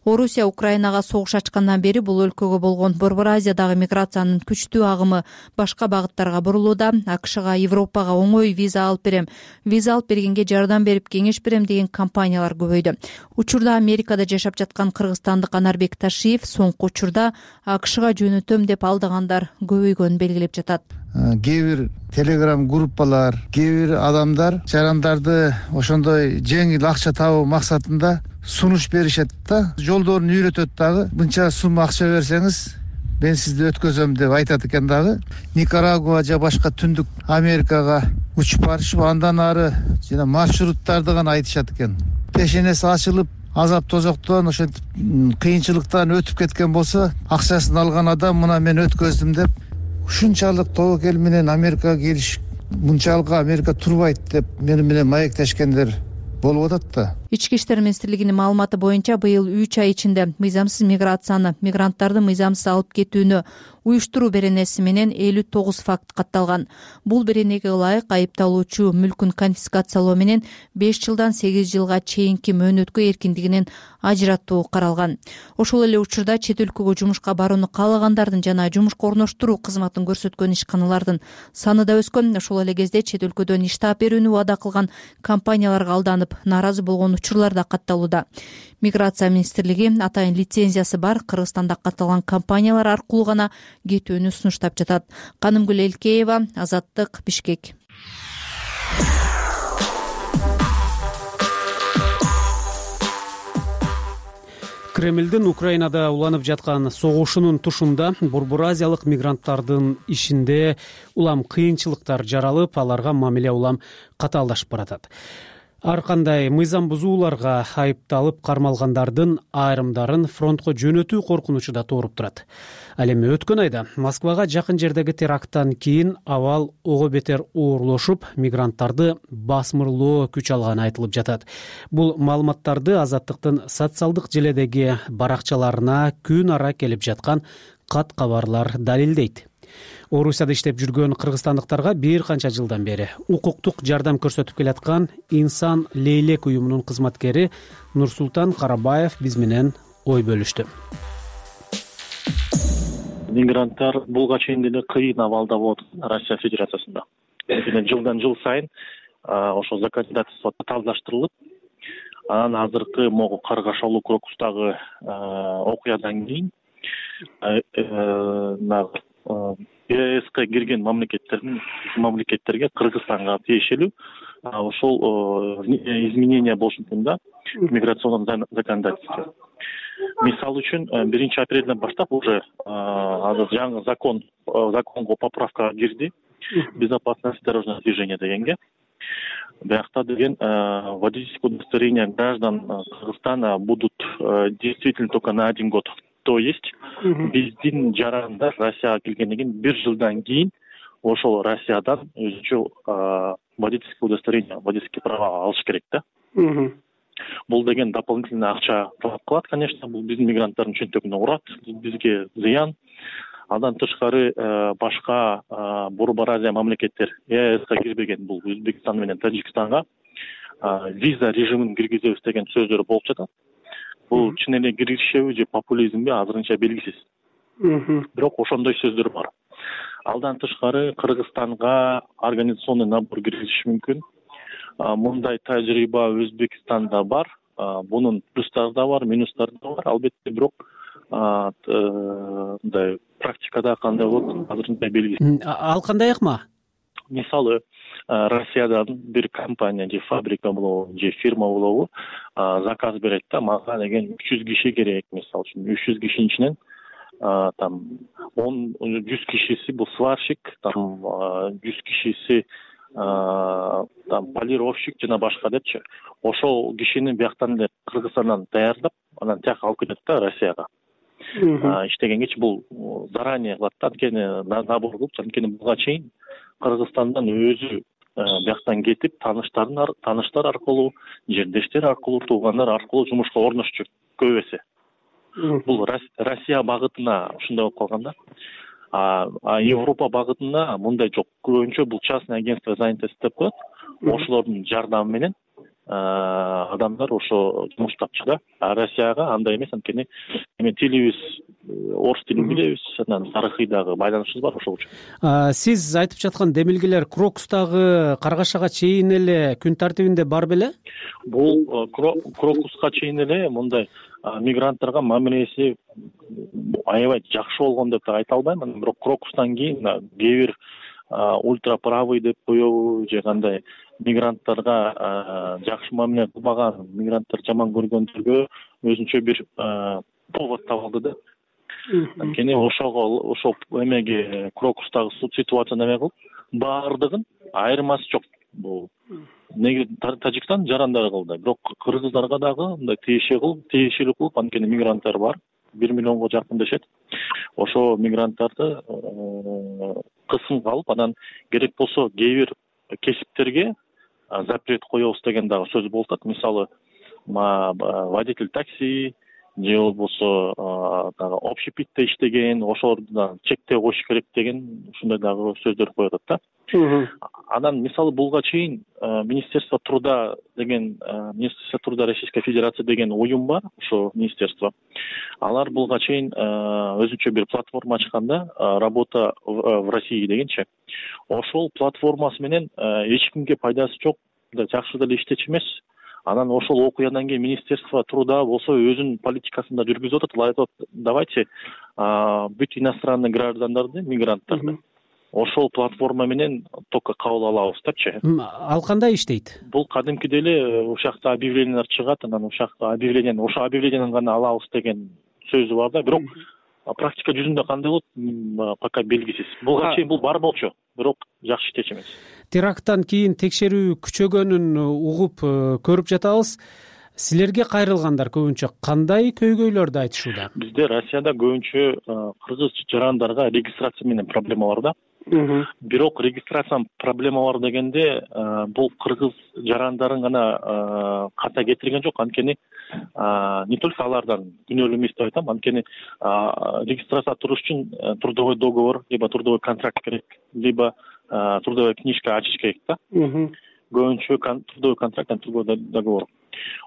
Орусия Украинага согуш ачкандан бери бул өлкөгө болгон Борбор Азиядагы миграциянын күчтүү агымы башка багыттарга бурулууда. АКШга, Европага оңой виза алып берем, виза алып бергенге жардам берип кеңеш берем деген компаниялар көбөйдү. Учурда Америкада жашап жаткан кыргызстандык Анарбек Ташиев соңку учурда АКШга жөнөтөм деп алдыгандар көбөйгөнүн белгилеп жатат. Кээ бир телеграм группалар, кээ бир адамдар жарандарды ошондой жеңил акча табуу максатында сунуш беришет да, жолдорун үйрөтөт дагы. Мынча сум акча берсеңиз мен сизди өткөзөм деп айтат экен дагы. Никарагуа же башка түндүк Америкага учуп барышып, андан ары жана маршруттарды гана айтышат экен. Пешенеси ачылып, азап тозоктон, ошентип кыйынчылыктан өтүп кеткен болсо, акчасын алган адам мына мен өткөздүм деп ушунчалык тобокел менен Америкага келиш, мынчалык Америка турбайт деп менен маектешкендер болуп атат да. Ички иштер министрлигинин маалыматы боюнча быйыл 3 ай ичинде мыйзамсыз миграцияны, мигранттарды мыйзамсыз алып кетүүнү уюштуруу беренеси менен 59 факт катталган. Бул беренеге ылайык айыпталуучу мүлкүн конфискациялоо менен 5 жылдан 8 жылга чейинки мөөнөткө эркиндигинен ажыратуу каралган. Ошол эле учурда чет өлкөгө жумушка барууну каалагандардын жана жумушка орноштуруу кызматын көрсөткөн ишканалардын саны да өскөн. Ошол эле кезде чет өлкөдөн иш таап берүүнү убада кылган компанияларга алданып, нааразы болгон учурлар да катталууда. Миграция министрлиги атайын лицензиясы бар Кыргызстанда катталган компаниялар аркылуу гана кетүүнү сунуштап жатат. Канымгүл Элкеева, Азаттык, Бишкек. Кремлдин Украинада уланып жаткан согушунун тушунда Борбор Азиялык мигранттардын ишинде улам кыйынчылыктар жаралып, аларга мамиле улам катаалдашып баратат. Ар кандай мыйзам бузууларга айыпталып кармалгандардын айрымдарын фронтко жөнөтүү коркунучу да тууруп турат. Ал эми өткөн айда Москвага жакын жердеги теракттан кийин абал ого бетер оорлошуп, мигранттарды басмырлоо күч алганы айтылып жатат. Бул маалыматтарды Азаттыктын социалдык желедеги баракчаларына күн ара келип жаткан кат кабарлар далилдейт. Орусияда иштеп жүргөн кыргызстандыктарга бир канча жылдан бери укуктук жардам көрсөтүп келаткан Инсан Лейлек уюмунун кызматкери Нурсултан Карабаев биз менен ой бөлүштү. Мигранттар булга чейин деле кыйын абалда болот Россия Федерациясында. Жылдан жыл сайын ошо законодательство татаалдаштырылып, анан азыркы могу Каргашалуу Крокустагы окуядан кийин ЕСК кирген мамлекеттерге Кыргызстанга тиешелүү ошол изменения болушу мүмкүн да миграционный законодательство. Мисалы үчүн 1 апрелден баштап уже азыр жаңы законго поправка кирди. Безопасность дорожного движения дегенге. Биякта деген водительское удостоверение граждан Кыргызстана будут действительно только на 1 год. То есть биздин жарандар Россияга келгенден кийин 1 жылдан кийин ошол Россиядан өзүнчө водительское удостоверение, водительские права алыш керек да. Бул деген дополнительный акча талап кылат, конечно, бул биздин мигранттардын чөнтөгүнө урат, бизге зыян. Андан тышкары башка Борбор Азия мамлекеттер ЕСК кирбеген бул Өзбекстан менен Тажикстанга виза режимин киргизебиз деген сөздөр болуп жатат. бул чын эле киришеби же популизмби азырынча белгисиз. Бирок ошондой сөздөр бар. Алдан тышкары Кыргызстанга организационный набор киргизиши мүмкүн. Мындай тажрыйба Өзбекстанда бар. Бунун плюстары да бар, минустары да бар. Албетте, бирок мындай практикада кандай болот азырынча белгисиз. Ал кандай ыкма? Мисалы, Россиядан бир компания же фабрика болобу же фирма болобу заказ берет да, мага деген 300 киши керек, мисалы үчүн 300 кишинин ичинен там 100 кишиси бул сварщик, там 100 кишиси там полировщик жана башка депчи. Ошол кишини бияктан эле Кыргызстандан даярдап, анан тияка алып кетет да Россияга. Иштегенгечи бул заранее кылат да, анткени набор кылып, анткени буга чейин Кыргызстандан өзү бияктан кетип, тааныштар аркылуу, жердештер аркылуу, туугандар аркылуу жумушка орношчу көп эсе. Бул Россия багытына ушундай болуп калган да. Европа багытына мындай жок. Көбүнчө бул частный агентство занятости деп коет. Ошолордун жардамы менен адамдар ошо жумуш тапчу да. Россияга андай эмес, анткени эми тилибиз орус тилин билебиз, анан тарыхый дагы байланышыбыз бар ошол үчүн. Сиз айтып жаткан демилгелер Крокустагы Каргашага чейин эле күн тартибинде бар беле? Бул Крокуска чейин эле мындай мигранттарга мамилеси аябай жакшы болгон деп айта албайм. Бирок Крокустан кийин кээ бир ультраправый деп коебу же кандай мигранттарга жакшы мамиле кылбаган, мигранттар жаман көргөндөргө өзүнчө бир повод табылды да. Анткени ошол эмеге Крокустагы ситуацияны эме кылып, баардыгын айырмасы жок. Бул неге Тажикстан жарандары кылды, бирок кыргыздарга дагы мындай тиешелүү кылып, анткени мигранттар бар, 1 миллионго жакын дешет. Ошо мигранттарды кысымга алып, анан керек болсо кээ бир кесиптерге запрет коебуз деген дагы сөз болуп атат. Мисалы, водитель такси же болбосо дагы общепитте иштеген, ошолордун чектөө коюш керек деген ушундай дагы сөздөр коюп атат да. Анан мисалы буга чейин Министерство труда Российской Федерации деген уюм бар, ошо министерство. Алар буга чейин өзүнчө бир платформа ачканда, работа в России дегенчи. Ошол платформасы менен эч кимге пайдасы жок, жакшы деле иштечү эмес. Анан ошол окуядан кийин Министерство труда болсо өзүнүн политикасын да жүргүзүп атат. Айтат, давайте бүт иностранный граждандарды, мигранттарды ошол платформа менен только кабыл алабыз депчи. Ал кандай иштейт? Бул кадимкидей эле ушакта объявлениялар чыгат, анан ушакта ошо объявлениени гана алабыз деген сөзү бар да. Бирок практика жүзүндө кандай болот, пока белгисиз. Буга чейин бул бар болчу, бирок жакшы иштечү эмес. Теракттан кийин текшерүү күчөгөнүн угуп көрүп жатабыз. Силерге кайрылгандар көбүнчө кандай көйгөйлөрдү айтышууда? Бизде Россияда көбүнчө кыргыз жарандарга регистрация менен проблема бар да. Бирок регистрация проблема бар дегенде бул кыргыз жарандарын гана ката кетирген жок, анткени не только алардан күнөөлүү эмес деп айтам, анткени регистрация туруш үчүн трудовой договор, либо трудовой контракт керек, либо трудовая книжка ачыш керек да. Көбүнчө трудовой контракт, трудовой договор.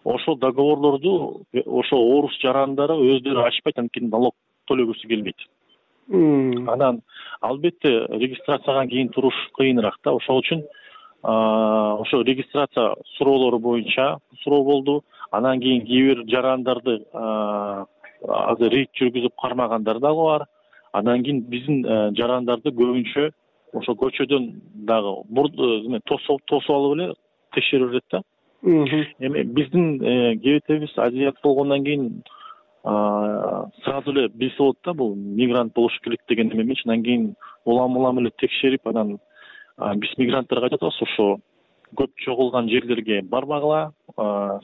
Ошол договорлорду ошо орус жарандары өздөрү ачпайт, анткени налог төлөгүсү келбейт. Анан албетте регистрацияга кийин туруш кыйыныраак да. Ошол үчүн ошо регистрация суроолору боюнча суроо болду. Анан кийин кээ бир жарандарды азыр рейд жүргүзүп кармагандар дагы бар. Анан кийин биздин жарандарды көбүнчө ошо көчөдөн дагы тосуп алып эле текшерип берет да. Эми биздин кебетебиз азиат болгондон кийин сразу эле билсе болот да, бул мигрант болуш керек деген эме эмес. Анан кийин улам эле текшерип, анан биз мигранттарга айтып атабыз, ошо көп чогулган жерлерге барбагыла,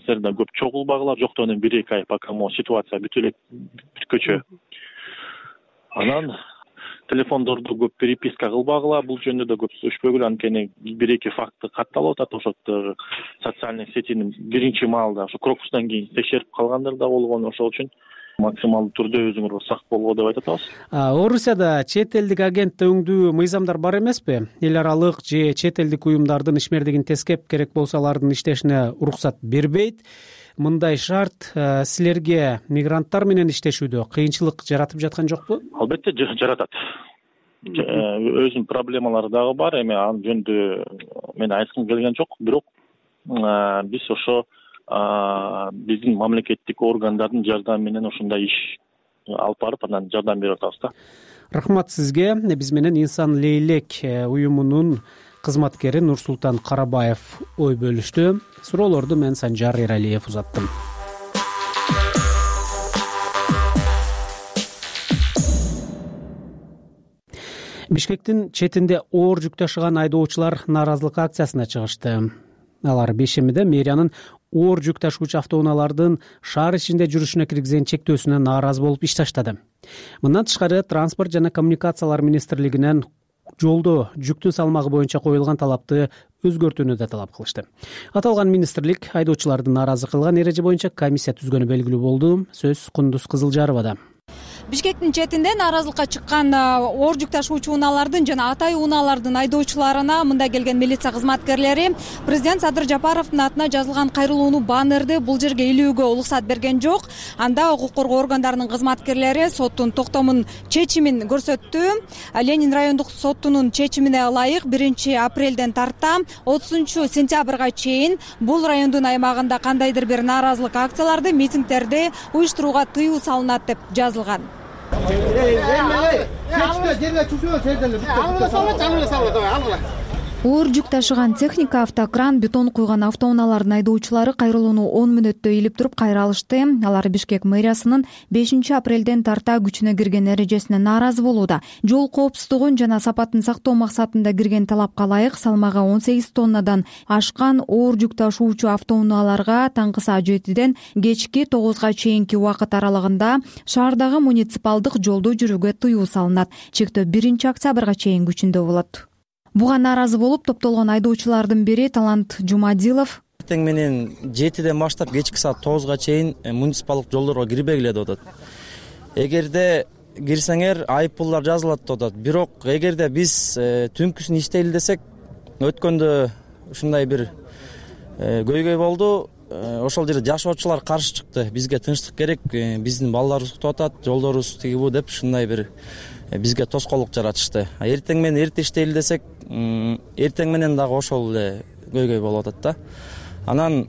силер да көп чогулбагыла, жоктогон 1-2 ай, пока могу ситуация бүтө элек бүткөчө. Анан телефондорду көп переписка кылбагыла, бул жөнүндө да көп сүйлөшпөгүлө, анткени 1-2 факты катталып атат. Ошо социальный сетинин биринчи маалда ошо Крокустан кийин текшерип калгандар да болгон. Ошол үчүн максималдуу түрдө өзүңөр сак болгоо деп айтып атабыз. Орусияда чет элдик агент өңдүү мыйзамдар бар эмеспи? Эл аралык же чет элдик уюмдардын ишмердигин тескеп, керек болсо алардын иштешине уруксат бербейт. мындай шарт силерге мигранттар менен иштешүүдө кыйынчылык жаратып жаткан жокпу? Албетте жаратат. Өзүнүн проблемалары дагы бар. Эми анын жөнүндө мен айткым келген жок. Бирок биз ошо биздин мамлекеттик органдардын жардамы менен ошондой иш алып барып анан жардам берип атабыз да. Рахмат сизге. Биз менен Инсан Лейлек уюмунун кызматкери Нурсултан Карабаев ой бөлүштү. Суроолорду мен Санжар Эралиев узаттым. Бишкектин четинде оор жүк ташыган айдоочулар нааразылык акциясына чыгышты. Алар Бешемиде мэриянын оор жүк ташуучу автоунаалардын шаар ичинде жүрүшүнө киргизген чектөөсүнө нааразы болуп иш таштады. Мындан тышкары Транспорт жана коммуникациялар министрлигинен жолдо жүктүн салмагы боюнча коюлган талапты өзгөртүүнү да талап кылышты. Аталган министрлик айдоочуларды нааразы кылган эреже боюнча комиссия түзгөнү белгилүү болду. Сөз Кундуз Кызылжаровада. Бишкектин четинде нааразылыкка чыккан оор жүк ташуучу унаалардын жана атай унаалардын айдоочуларына мында келген милиция кызматкерлери президент Садыр Жапаровдун атына жазылган кайрылууну баннерди бул жерге илүүгө уруксат берген жок. Анда укук коргоо органдарынын кызматкерлери соттун токтомун чечимин көрсөттү. Ленин райондук соттунун чечимине ылайык 1 апрелден тарта 30 сентябрга чейин бул райондун аймагында кандайдыр бир нааразылык акцияларды, митингдерди уюштурууга тыюу салынат деп жазылган. Оор жүк ташыган техника, автокран, бетон куйган автоунаалардын айдоочулары кайрылууну 10 мүнөттө илип туруп кайра алышты. Алар Бишкек мэриясынын 5 апрелден тарта күчүнө кирген эрежесине нааразы болууда. Жол коопсуздугун жана сапатын сактоо максатында кирген талапка ылайык салмагы 18 тоннадан ашкан оор жүк ташуучу автоунааларга таңкы саат 7ден кечки 9га чейинки убакыт аралыгында шаардагы муниципалдык жолдо жүрүүгө тыюу салынат. Чектөө 1 октябрга чейин күчүндө болот. Буга нааразы болуп топтолгон айдоочулардын бири Талант Жумадилов эртең менен 7ден баштап кечки саат 9га чейин муниципалдык жолдорго кирбегиле деп атат. Эгерде кирсеңер айыппулдар жазылат деп атат. Бирок эгерде биз түнкүсүн иштейли десек, өткөндө ушундай бир көйгөй болду. Ошол жерде жашоочулар каршы чыкты. Бизге тынчтык керек, биздин балдарыбыз уктап атат, жолдорубуз тиги бу деп ушундай бир бизге тоскоолдук жаратышты. Эртең менен эрте иштейли десек, эртең менен дагы ошол эле көйгөй болуп атат да. Анан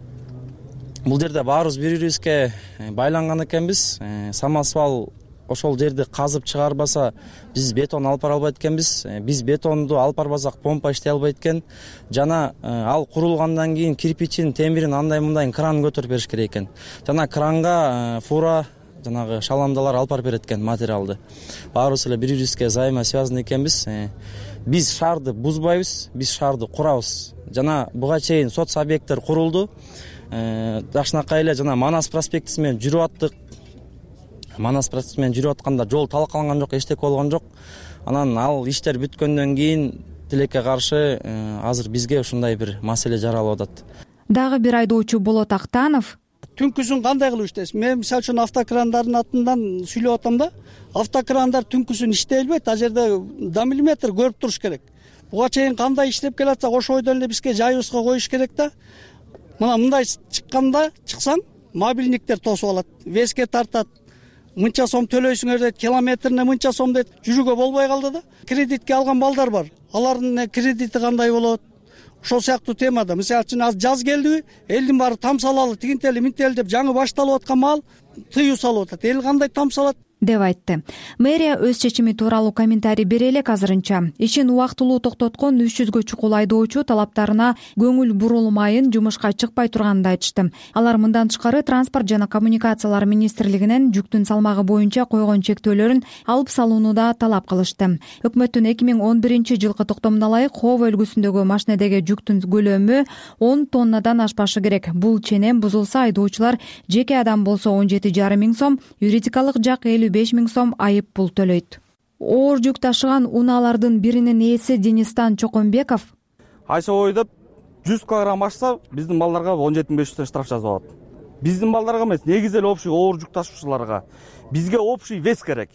бул жерде баарыбыз бири-бирибизге байланган экенбиз. Самосвал ошол жерди казып чыгарбаса, биз бетон алып бара албайт экенбиз. Биз бетонду алып барбасак, помпа иштей албайт экен. Жана ал курулгандан кийин кирпичин, темирин андай-мындай кран көтөрүп бериш керек экен. Жана кранга фура жанагы шаламдалар алып барып берет экен материалды. Баарыбыз эле бири-бирибизге взаимосвязаны экенбиз. Биз шаарды бузбайбыз, биз шаарды курабыз. Жана буга чейин соц объекттер курулду. Жакшынакай эле жана Манас проспектиси менен жүрүп аттык. Манас проспектиси менен жүрүп атканда жол талкаланган жок, эчтеке болгон жок. Анан ал иштер бүткөндөн кийин тилекке каршы азыр бизге ушундай бир маселе жаралып атат. Дагы бир айдоочу Болот Актанов түнкүсүн кандай кылып иштейсиз? Мен мисалы үчүн автокрандардын атынан сүйлөп атам да. Автокрандар түнкүсүн иштей албайт, а жерде до миллиметр көрүп туруш керек. Буга чейин кандай иштеп келатсак, ошо бойдон эле бизге жайыбызга коюш керек да. Мына мындай чыкканда, чыксаң, мобильниктер тосуп алат, веске тартат. Мынча сом төлөйсүңөр дейт, километрине мынча сом дейт, жүрүүгө болбой калды да. Кредитке алган балдар бар. Алардын кредити кандай болот? Ошол сыяктуу темада, мисалы үчүн аз жаз келдиби, элдин баары там салалы, тигинтели, минтели деп жаңы башталып аткан маал тыюу салып атат. Эл кандай там салат? деп айтты. Мэрия өз чечими тууралуу комментарий бере элек азырынча. Ишин убактылуу токтоткон 300гө чукул айдоочу талаптарына көңүл бурулмайын, жумушка чыкпай турганын айтышты. Алар мындан тышкары Транспорт жана коммуникациялар министрлигинен жүктүн салмагы боюнча койгон чектөөлөрүн алып салууну да талап кылышты. Өкмөттүн 2011-жылкы токтомуна ылайык Хов өлкөсүндөгү машинедеги жүктүн көлөмү 10 тоннадан ашпашы керек. Бул ченем бузулса айдоочулар жеке адам болсо 17,5 миң сом, юридикалык жак 55 миң сом айып пул төлөйт. Оор жүк ташыган унаалардын биринин ээси Денистан Чоконбеков айша ойдоп 100 килограмм ашса биздин балдарга 17,500 штраф жазып алат. Биздин балдарга эмес, негизи эле общий оор жүк ташуучуларга. Бизге общий вес керек.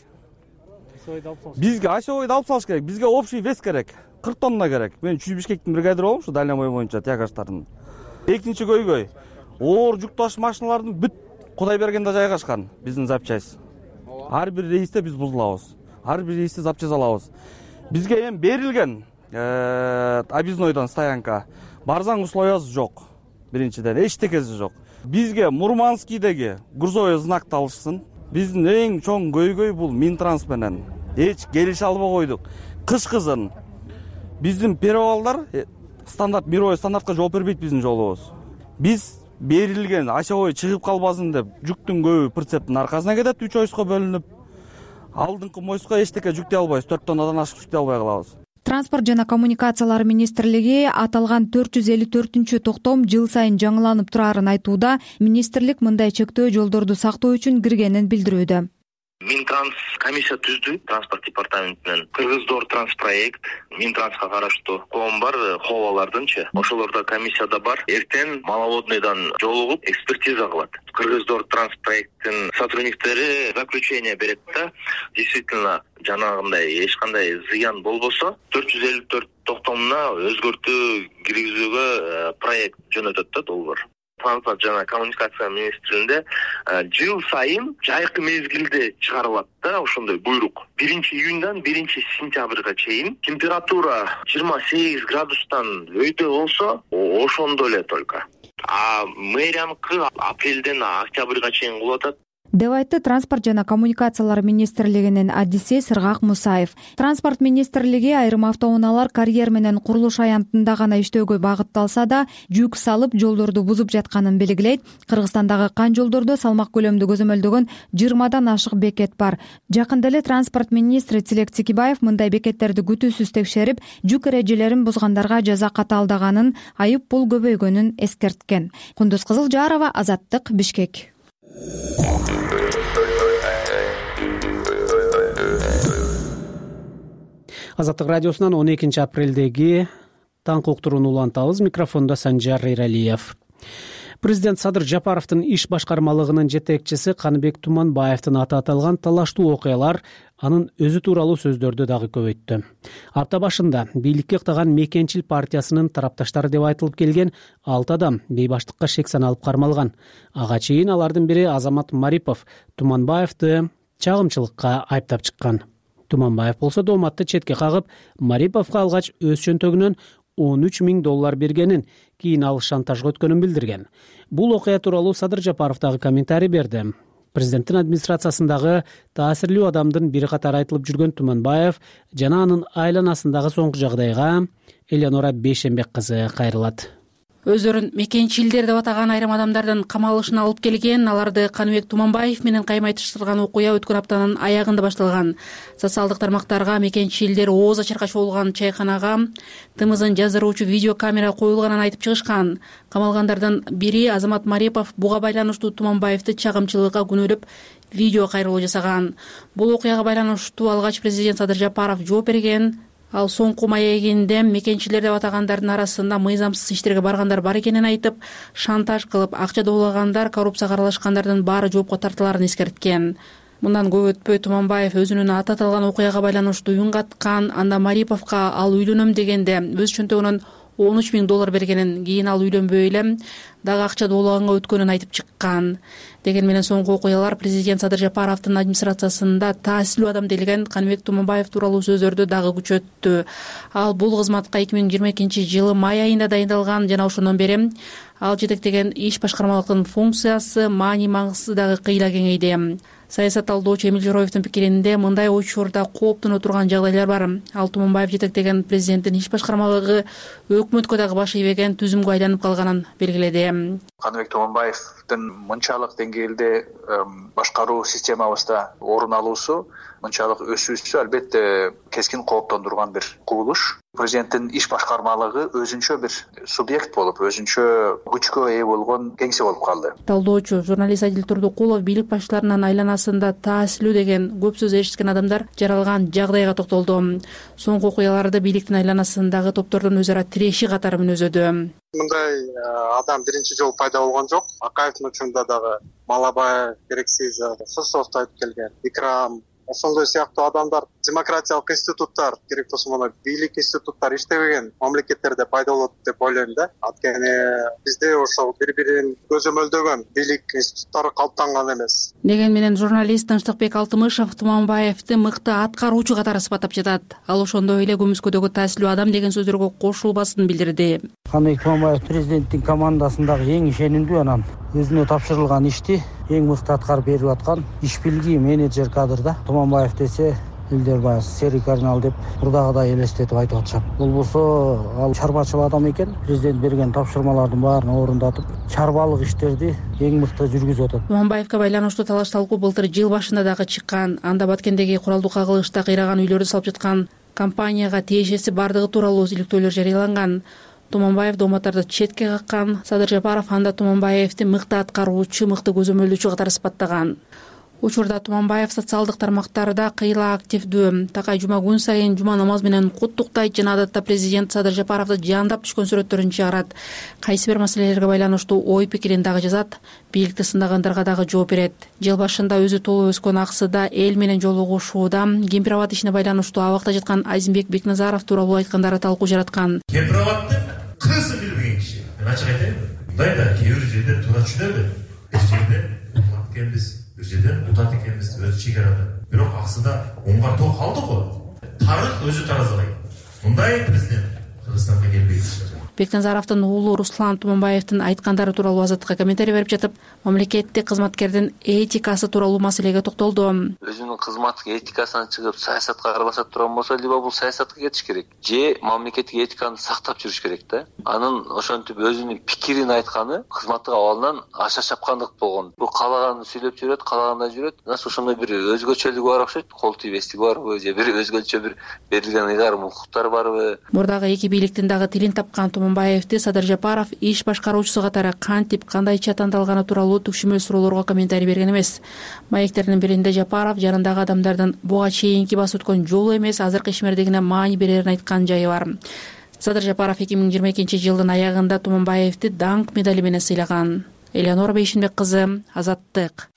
Бизге айша ойду алып салыш керек. Бизге общий вес керек. 40 тонна керек. Мен Бишкектин бригадиры болмушу дальний бой боюнча тягаждардын. Экинчи көйгөй. оор жүк таш машиналардын бүт Кудайбергенде жайгашкан биздин запчасть. Ар бир рейсте биз бузулабыз. Ар бир рейсте запчасть алабыз. Бизге эми берилген объезднойдон стоянка барзаң условиясы жок. Биринчиден эчтекеси жок. Бизге Мурманскийдеги грузовой знакты алышсын. Биздин эң чоң көйгөй бул Минтранс менен эч келише албай койдук. Кышкызын биздин перевалдар стандарт мировой стандартка жооп бербейт биздин жолубуз. Биз берилген ачабой чыгып калбасын деп жүктүн көбү прицептин аркасына кетет, 3 ойско бөлүнүп. Алдыңкы мойско эчтеке жүктөй албайбыз, 4 тоннадан ашык жүктөй албай калабыз. Транспорт жана коммуникациялар министрлиги аталган 454 токтом жыл сайын жаңыланып турарын айтууда, министрлик мындай чектөө жолдорду сактоо үчүн киргенин билдирүүдө. Минтранс комиссия түздү транспорт департаментинен. Кыргыздор транспроект, Минтрансга караштуу коом бар, ховалардынчы. Ошолордо комиссияда бар. Эртең маловодныйдан жолугуп экспертиза кылат. Кыргыздор транспроекттин сотрудниктери заключение берет да, действительно жанагындай эч кандай зыян болбосо 454 токтомуна өзгөртүү киргизүүгө проект жөнөтөт да долбоор. Транспорт жана коммуникация министрлигинде жыл сайын жайкы мезгилде чыгарылат да ошондой буйрук. 1-июндан 1-сентябрга чейин температура 28 градустан өйдө болсо, ошондо эле только. А мэрияныкы апрелден октябрга чейин кылып атат. деп айтты Транспорт жана коммуникациялар министрлигинин адиси Сыргак Мусаев. Транспорт министрлиги айрым автоунаалар карьер менен курулуш аянтында гана иштөөгө багытталса да, жүк салып жолдорду бузуп жатканын белгилейт. Кыргызстандагы кан жолдордо салмак көлөмдү көзөмөлдөгөн 20дан ашык бекет бар. Жакында эле транспорт министри Тилек Тикибаев мындай бекеттерди күтүүсүз текшерип, жүк эрежелерин бузгандарга жаза катаалдаганын, айып пул көбөйгөнүн эскерткен. Кундуз Кызылжарова, Азаттык, Бишкек. Азаттык радиосунан 12 апрелдеги таңкы уктурууну улантабыз. Микрофондо Санжар Эралиев. Президент Садыр Жапаровдун иш башкармалыгынын жетекчиси Каныбек Туманбаевдин аты аталган талаштуу окуялар анын өзү тууралуу сөздөрдү дагы көбөйттү. Апта башында бийликке ыктаган Мекенчил партиясынын тарапташтары деп айтылып келген 6 адам бейбаштыкка шек саналып кармалган. Ага чейин алардын бири Азамат Марипов Туманбаевди чагымчылыкка айыптап чыккан. Туманбаев болсо дооматты четке кагып, Мариповго алгач өз чөнтөгүнөн $13 000 бергенин, кийин ал шантажга өткөнүн билдирген. Бул окуя тууралуу Садыр Жапаров дагы комментарий берди. Президенттин администрациясындагы таасирлүү адамдын бири катары айтылып жүргөн Туманбаев жана анын айланасындагы соңку жагдайга Элеонора Бейшембек кызы кайрылат. Өздөрүн мекенчилдер деп атаган айрым адамдардын камалышына алып келген, аларды Каныбек Туманбаев менен каймайтыштырган окуя өткөн аптанын аягында башталган. Социалдык тармактарга мекенчилдер ооз ачарга чогулган чайканага тымызын жаздыруучу видеокамера коюлганын айтып чыгышкан. Камалгандардын бири Азамат Марипов буга байланыштуу Туманбаевди чагымчылыкка күнөөлөп видео кайрылуу жасаган. Бул окуяга байланыштуу алгач президент Садыр Жапаров жооп берген. Ал соңку маегинде мекенчилер деп атагандардын арасында мыйзамсыз иштерге баргандар бар экенин айтып, шантаж кылып, акча доолагандар, коррупцияга аралашкандардын баары жоопко тартыларын эскерткен. Мындан көп өтпөй Туманбаев өзүнүн аты аталган окуяга байланыштуу үн каткан, анда Мариповго ал үйлөнөм дегенде өз чөнтөгүнөн $13 000 бергенин, кийин ал үйлөнбөй эле дагы акча доолаганга өткөнүн айтып чыккан. Деген менен соңку окуялар президент Садыр Жапаровдун администрациясында таасирлүү адам делген Каныбек Туманбаев тууралуу сөздөрдү дагы күчөттү. Ал бул кызматка 2022 жылы май айында дайындалган жана ошондон бери ал жетектеген иш башкармалыктын функциясы маани маңызы дагы кыйла кеңейди. Саясат талдоочу Эмил Жороевдин пикиринде мындай учурда кооптоно турган жагдайлар бар. Ал Туманбаев жетектеген президенттин иш башкармалыгы өкмөткө дагы баш ийбеген түзүмгө айланып калганын белгиледи. Каныбек Туманбаевдин мынчалык деңгээлде башкаруу системабызда орун алуусу, мынчалык өсүүсү албетте кескин кооптондурган бир кубулуш. Президенттин иш башкармалыгы өзүнчө бир субъект болуп, өзүнчө күчкө ээ болгон кеңсе болуп калды. Талдоочу журналист Адил Турдукулов бийлик башчыларынын айланасында таасирлүү деген көп сөз эшиткен адамдар жаралган жагдайга токтолду. Соңку окуяларды бийликтин айланасындагы топтордун өзара тиреши катары мүнөздөдү. Мындай адам биринчи жолу пайда болгон жок. Акаевдин учурунда дагы Малабаев, Керексиз, Сусовду айтып келген, Икрам, ошондой сыяктуу адамдар демократиялык институттар, керек болсо мына бийлик институттары иштебеген мамлекеттерде пайда болот деп ойлойм да. Анткени бизде ошол бири-бирин көзөмөлдөгөн бийлик институттары калыптанган эмес. Деген менен журналист Тынчтыкбек Алтымышев Туманбаевди мыкты аткаруучу катары сыпаттап жатат. Ал ошондой эле көмүскөдөгү таасилүү адам деген сөздөргө кошулбасын билдирди. Каныбек Туманбаев президенттин командасындагы эң ишенимдүү, анан өзүнө тапшырылган ишти эң мыкты аткарып берип аткан иш билги менеджер кадрда. Туманбаев десе элдер баягы Серик Карнал деп мурдагыдай элестетип айтып атышат. Болбосо ал чарбачыл адам экен. Президент берген тапшырмалардын баарын орундатып, чарбалык иштерди эң мыкты жүргүзүп атат. Туманбаевге байланыштуу талаш талкуу былтыр жыл башында дагы чыккан. Анда Баткендеги куралдуу кагылышта кыйраган үйлөрдү салып жаткан компанияга тиешеси бардыгы тууралуу иликтөөлөр жарыяланган. Туманбаев дооматтарды четке каккан. Садыр Жапаров анда Туманбаевди мыкты аткаруучу, мыкты көзөмөлдөөчү катары сыпаттаган. Учурда Туманбаев социалдык тармактарда кыйла активдүү. Такай жума күн сайын жума намаз менен куттуктайт жана адатта президент Садыр Жапаровду жаандап түшкөн сүрөттөрүн чыгарат. Кайсы бир маселелерге байланыштуу ой пикирин дагы жазат, бийликти сындагандарга дагы жооп берет. Жыл башында өзү толуп өскөн Аксыда эл менен жолугушууда Кемпирабад ишине байланыштуу абакта жаткан Азимбек Бекназаров тууралуу айткандары талкуу жараткан. Кемпирабаддын кызы билбеген киши. Мен ачык айтайын, мындай да кээ бир жерде туура түшүнөбү. Бир жерде улат экенбиз, бир жерден утат экенбиз өзү чекарада. Бирок Аксыда оңгартуу калды го. Тарых өзү таразалайт. Мындай президент Кыргызстанга келбейт. Бекназаровдун уулу Руслан Туманбаевдин айткандары тууралуу Азаттыкка комментарий берип жатып, мамлекеттик кызматкердин этикасы тууралуу маселеге токтолду. Өзүнүн кызматтык этикасынан чыгып саясатка аралашат турган болсо, либо бул саясатка кетиш керек, же мамлекеттик этиканы сактап жүрүш керек да. Анын ошентип өзүнүн пикирин айтканы кызматтык абалынан аша чапкандык болгон. Бул каалаганын сүйлөп жүрөт, каалагандай жүрөт. Нас ошондой бир өзгөчөлүгү бар окшойт, кол тийбестиги барбы, же бир өзгөчө бир берилген ыйгарым укуктар барбы. Мурдагы эки бийликтин дагы тилин тапкан Туманбаевди Садыр Жапаров иш башкаруучусу катары кантип, кандайча тандалганы тууралуу түкшүмөл суроолорго комментарий берген эмес. Маектердин биринде Жапаров жанындагы адамдардын буга чейинки басып өткөн жолу эмес, азыркы ишмердигине маани берерин айткан жайы бар. Садыр Жапаров 2022-жылдын аягында Туманбаевди даңк медали менен сыйлаган. Элеонора Бейшинбек кызы, Азаттык.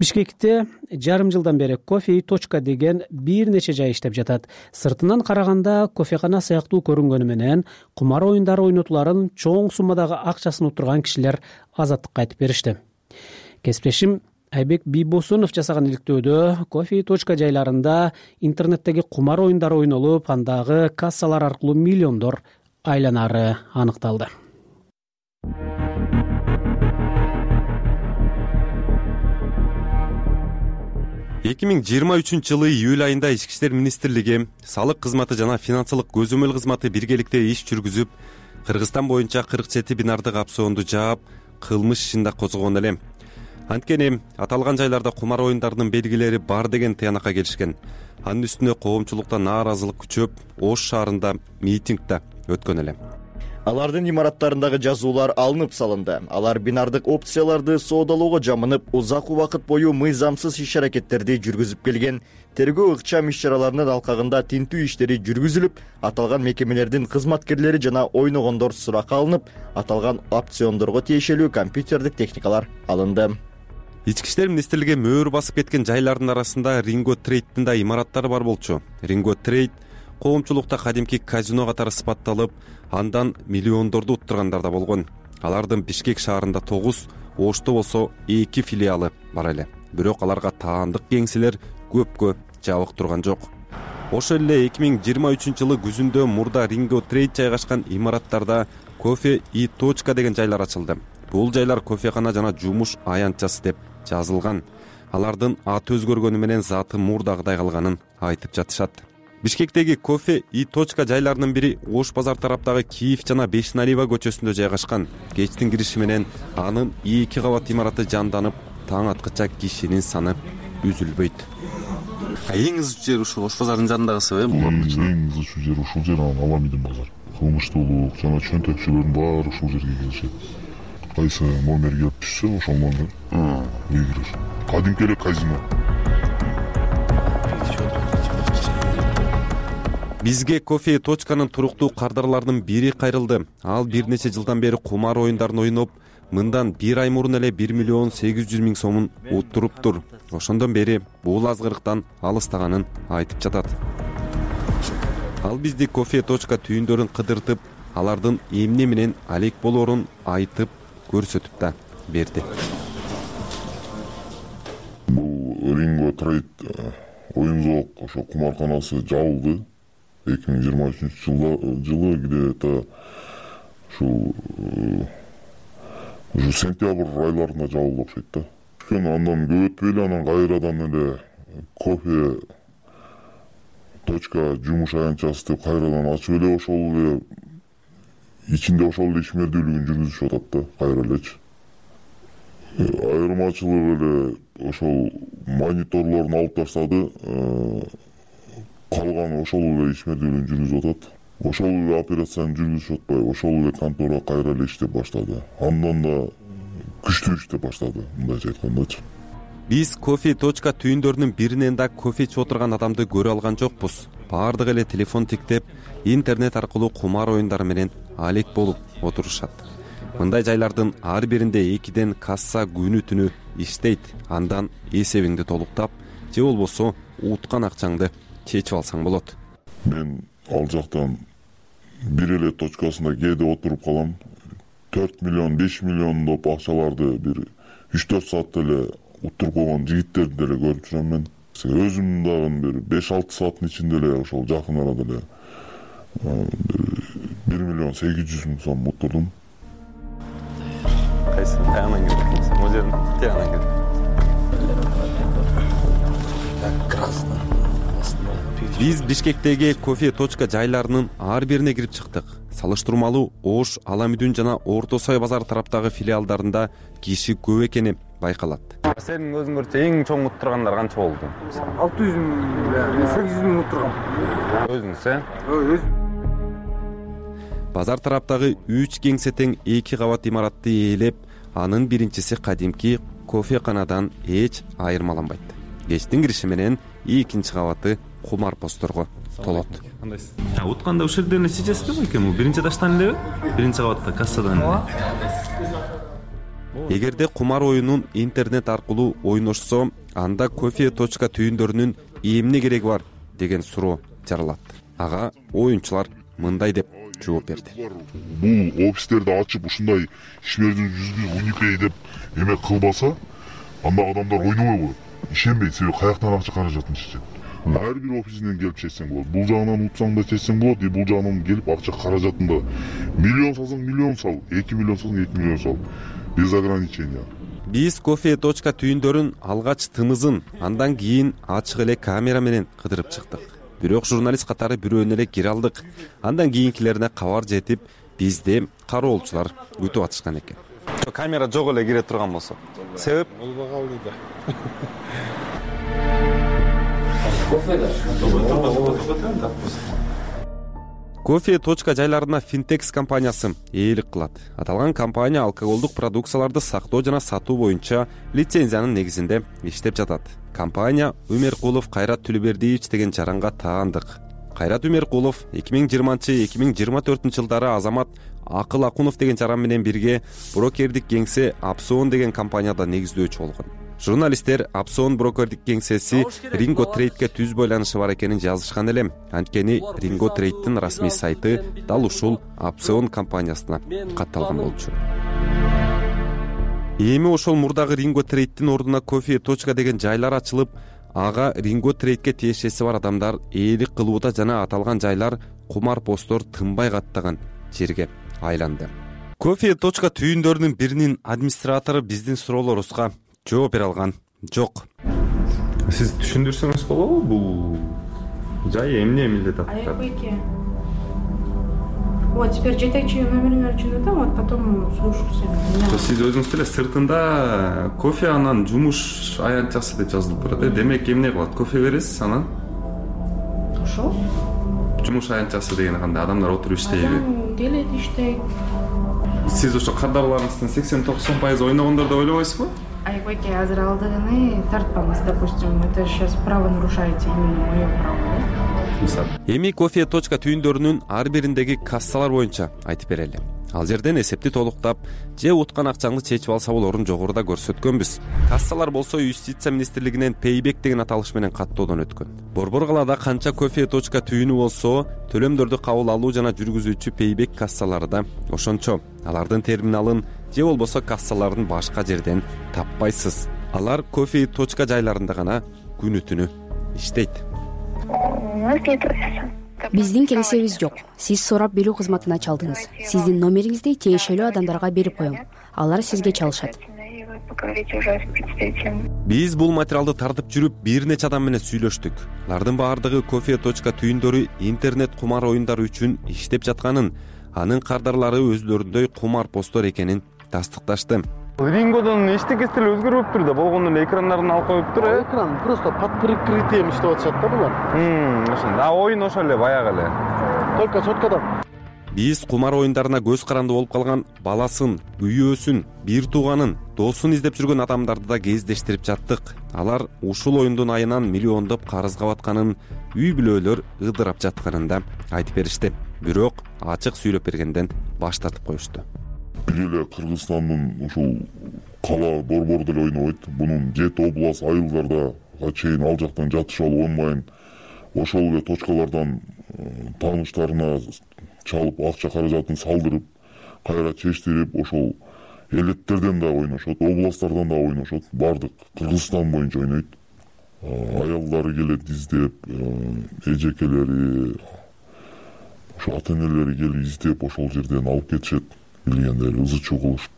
Бишкекте жарым жылдан бери кофе и точка деген бир нече жай иштеп жатат. Сыртынан караганда кофекана сыяктуу көрүнгөнү менен кумар оюндары ойнотуларын чоң суммадагы акчасын уттурган кишилер Азаттыкка айтып беришти. Кесиптешим Айбек Бийбосунов жасаган иликтөөдө кофе и точка жайларында интернеттеги кумар оюндары ойнолуп, андагы кассалар аркылуу миллиондор айланары аныкталды. 2023-жылы июль айында Ички иштер министрлиги, салык кызматы жана финансылык көзөмөл кызматы биргеликте иш жүргүзүп, Кыргызстан боюнча 47 бинардык опционду жаап, кылмыш ишин да козгогон эле. Анткени аталган жайларда кумар оюндарынын белгилери бар деген тыянакка келишкен. Анын үстүнө коомчулукта нааразылык күчөп, Ош шаарында митинг да өткөн эле. Алардын имараттарындагы жазуулар алынып салынды. Алар бинардык опцияларды соодалоого жамынып, узак убакыт бою мыйзамсыз иш-аракеттерди жүргүзүп келген. Тергөө ыкчам иш-чараларынын алкагында тинтүү иштери жүргүзүлүп, аталган мекемелердин кызматкерлери жана ойногондор суракка алынып, аталган опциондорго тиешелүү компьютердик техникалар алынды. Ички иштер министрлиги мөөр басып кеткен жайлардын арасында Ринго Трейдтин да имараттары бар болчу. Ринго Трейд коомчулукта кадимки казино катары сыпатталып, андан миллиондорду уттургандар да болгон. Алардын Бишкек шаарында 9, Ошто болсо 2 филиалы бар эле. Бирок аларга таандык кеңселер көпкө жабык турган жок. Ошол эле 2023-жылы күзүндө мурда Ринго Трейд жайгашкан имараттарда кофе и точка деген жайлар ачылды. Бул жайлар кофекана жана жумуш аянтчасы деп жазылган. Алардын аты өзгөргөнү менен заты мурдагыдай калганын айтып жатышат. Бишкектеги кофе и точка жайларынын бири Ош базар тараптагы Киев жана Бешналиева көчөсүндө жайгашкан. Кечтин кириши менен анын 2 кабат имараты жанданып, таң аткыча кишинин саны үзүлбөйт. Эң ызычуу жер ушул Ош базарынын жанындагысы э? Эң ызычуу жер ушул жер, анан Аламидин базар. Кылмыштуулук жана чөнтөкчүлөрдүн баары ушул жерге келишет. Кайсы номер келип түшсө, ошол номер үй кирер. Кадимки эле казино. Бизге кофе точканын туруктуу кардарларынын бири кайрылды. Ал бир нече жылдан бери кумар оюндарын ойноп, мындан 1 ай мурун эле 1 миллион 800 миң сомун уттуруптур. Ошондон бери бул азгырыктан алыстаганын айтып жатат. Ал бизди кофе точка түйүндөрүн кыдыртып, алардын эмне менен алек болоорун айтып көрсөтүп да берди. Бул Ringo Trade оюн-зоок ошо кумарканасы жабылды. 2023 жылы где-то ушу сентябрь айларында жабылды окшойт да. Андан көп өтпөй эле анан кайрадан эле кофе точка жумуш аянтчасы деп кайрадан ачып эле ошол эле ичинде ошол эле ишмердүүлүгүн жүргүзүшүп атат да кайра элечи. Айырмачылык эле ошол мониторлорун алып таштады, калган ошол эле ишмердүүлүгүн жүргүзүп атат. Ошол эле операцияны жүргүзүшүп атпай, ошол эле контора кайра эле иштеп баштады. Андан да күчтүү иштеп баштады, мындайча айткандачы. Биз кофе точка түйүндөрүнүн биринен да кофе ичип отурган адамды көрө алган жокпуз. Баардыгы эле телефон тиктеп, интернет аркылуу кумар оюндары менен алек болуп отурушат. Мындай жайлардын ар биринде 2ден касса күнү түнү иштейт. Андан эсебиңди толуктап, же болбосо уткан акчаңды чечип алсаң болот. Мен ал жактан бир эле точкасында кээде отуруп калам. 4 миллион, 5 миллион деп акчаларды бир 3-4 саатта эле уттуруп койгон жигиттерди деле көрүп жүрөм мен. Өзүм дагы бир 5-6 сааттын ичинде эле ошол жакын арада эле 1 миллион 800 миң сом уттурдум. Кайсы тагынан келдиң? Могу жерден тагынан келдиң. Биз Бишкектеги кофе точка жайларынын ар бирине кирип чыктык. Салыштырмалуу Ош, Аламүдүн жана Орто Сой базар тараптагы филиалдарында киши көп экени байкалат. Сенин өзүңөрчө эң чоң уттургандар канча болду? 600 миң, 800 миң уттургам. Өзүңүз, э? Өзүм. Базар тараптагы 3 кеңсе тең 2 кабат имаратты ээлеп, анын биринчиси кадимки кофеканадан эч айырмаланбайт. Кечтин кириши менен экинчи кабаты кумар посторго толот. Кандайсыз? Утканда ушул жерден чечесизби экен? Бул биринчи этаждан элеби? Биринчи кабатта кассадан эле. Эгерде кумар оюнун интернет аркылуу ойношсо, анда кофе точка түйүндөрүнүн эмне кереги бар деген суроо жаралат. Ага оюнчулар мындай деп жооп берди. Бул офистерди ачып ушундай ишмердүү жүзүнө уникей деп эме кылбаса, анда адамдар ойнобой коет. Ишенбейт, себеби каяктан акча каражатын чечет. Ар бир офисинен келип чечсең болот. Бул жагынан утсаң да чечсең болот, бул жагынан келип акча каражатын да миллион салсаң миллион сал, 2 миллион салсаң 2 миллион сал. Без ограничения. Биз кофе точка түйүндөрүн алгач тымызын, андан кийин ачык эле камера менен кыдырып чыктык. Бирок журналист катары бирөөнө эле кире алдык. Андан кийинкилерине кабар жетип, бизди кароолчулар күтүп атышкан экен. Камера жок эле кире турган болсо. Себеп? Болбогалды да. Кофе точка жайларына Fintex компаниясы ээлик кылат. Аталган компания алкоголдук продукцияларды сактоо жана сатуу боюнча лицензиянын негизинде иштеп жатат. Компания Өмеркулов Кайрат Түлүбердиевич деген жаранга таандык. Кайрат Өмеркулов 2020-2024 жылдары Азамат Акыл Акунов деген жаран менен бирге брокердик кеңсе Апсон деген компанияда негиздөөчү болгон. Журналисттер Апсон брокердик кеңсеси Ringo Trade'ге түз байланышы бар экенин жазышкан эле. Анткени Ringo Trade'дин расмий сайты дал ушул Апсон компаниясына катталган болчу. Эми ошол мурдагы Ringo Trade'дин ордуна кофе точка деген жайлар ачылып, ага Ringo Trade'ге тиешеси бар адамдар ээлик кылууда жана аталган жайлар кумар постор тынбай каттаган жерге айланды. Кофе точка түйүндөрүнүн биринин администратору биздин суроолорубузга жооп бере алган жок. Сиз түшүндүрсөңүз болобу бул жай эмне эмилдет атат? Аябайке. Вот теперь жетекчи номериңер үчүн атам, вот потом слушаюсь. Сиз өзүңүз деле сыртында кофе анан жумуш аянтчасы деп жазылып турат. Демек эмне кылат? Кофе бересиз анан? Ошол. Жумуш аянтчасы деген кандай? Адамдар отуруп иштейби? Адам келет иштейт. Сиз ошо кардарларыңыздын 80-90% ойногондор деп ойлобойсузбу? Аябайке азыр алдыгыны тартпаңыз, допустим, это сейчас право нарушаете, именно мое право, да? Эми кофе точка түйүндөрүнүн ар бириндеги кассалар боюнча айтып берели. Ал жерден эсепти толуктап же уткан акчаңды чечип алса болорун жогоруда көрсөткөнбүз. Кассалар болсо юстиция министрлигинен пейбек деген аталыш менен каттоодон өткөн. Борбор калаада канча кофе точка түйүнү болсо, төлөмдөрдү кабыл алуу жана жүргүзүүчү пейбек кассалары да ошончо. Алардын терминалын же болбосо кассаларын башка жерден таппайсыз. Алар кофе точка жайларында гана күнү түнү иштейт. Биздин келишебиз жок. Сиз сурап билүү кызматына чалдыңыз. Сиздин номериңизди тиешелүү адамдарга берип коем. Алар сизге чалышат. Биз бул материалды тартып жүрүп бир нече адам менен сүйлөштүк. Алардын баардыгы кофе точка түйүндөрү интернет кумар оюндары үчүн иштеп жатканын, анын кардарлары өзлөрүндөй кумар посттор экенин тастыкташты. Рингодон эчтекеси деле өзгөрбөптүр да, болгондо эле экрандарын алып коюптур. Экран просто под прикрытием иштеп атышат да булар. Ошондо. Оюн ошол эле баягы эле. Только соткада. Биз кумар оюндарына көз каранды болуп калган баласын, күйөөсүн, бир тууганын, досун издеп жүргөн адамдарды да кездештирип жаттык. Алар ушул оюндун айынан миллиондоп карызга батканын, үй бүлөлөр ыдырап жатканын да айтып беришти. Бирок ачык сүйлөп бергенден баш тартып коюшту. Бир эле Кыргызстандын ушул кала борбордо эле ойнобойт. Бунун 7 область айылдарда чейин ал жактан жатыша болбойн. Ошол эле точкалардан тааныштарына чалып акча каражатын салдырып, кайра чечтирип, ошол элеттерден да ойношот, областтардан да ойношот. Бардык Кыргызстан боюнча ойнойт. Аялдары келет издеп, эжекелери, ошо ата-энелери келип издеп ошол жерден алып кетишет. Билгендер ызы чуу кылышып.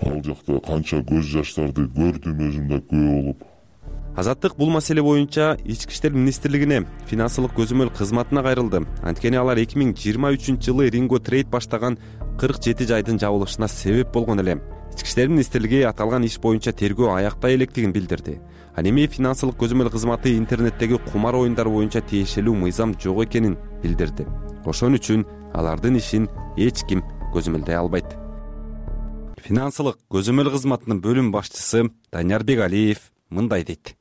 Ал жакта канча көз жаштарды көрдүм, өзүм да күбө болуп. Азаттык бул маселе боюнча Ички иштер министрлигине финансылык көзөмөл кызматына кайрылды. Анткени алар 2023-жылы Ринго Трейд баштаган 47 жайдын жабылышына себеп болгон эле. Ички иштер министрлиги аталган иш боюнча тергөө аяктай электигин билдирди. Ал эми финансылык көзөмөл кызматы интернеттеги кумар оюндар боюнча тиешелүү мыйзам жок экенин билдирди. Ошон үчүн алардын ишин эч ким көзөмөлдөй албайт. Финансылык көзөмөл кызматынын бөлүм башчысы Данияр Бегалиев мындай дейт.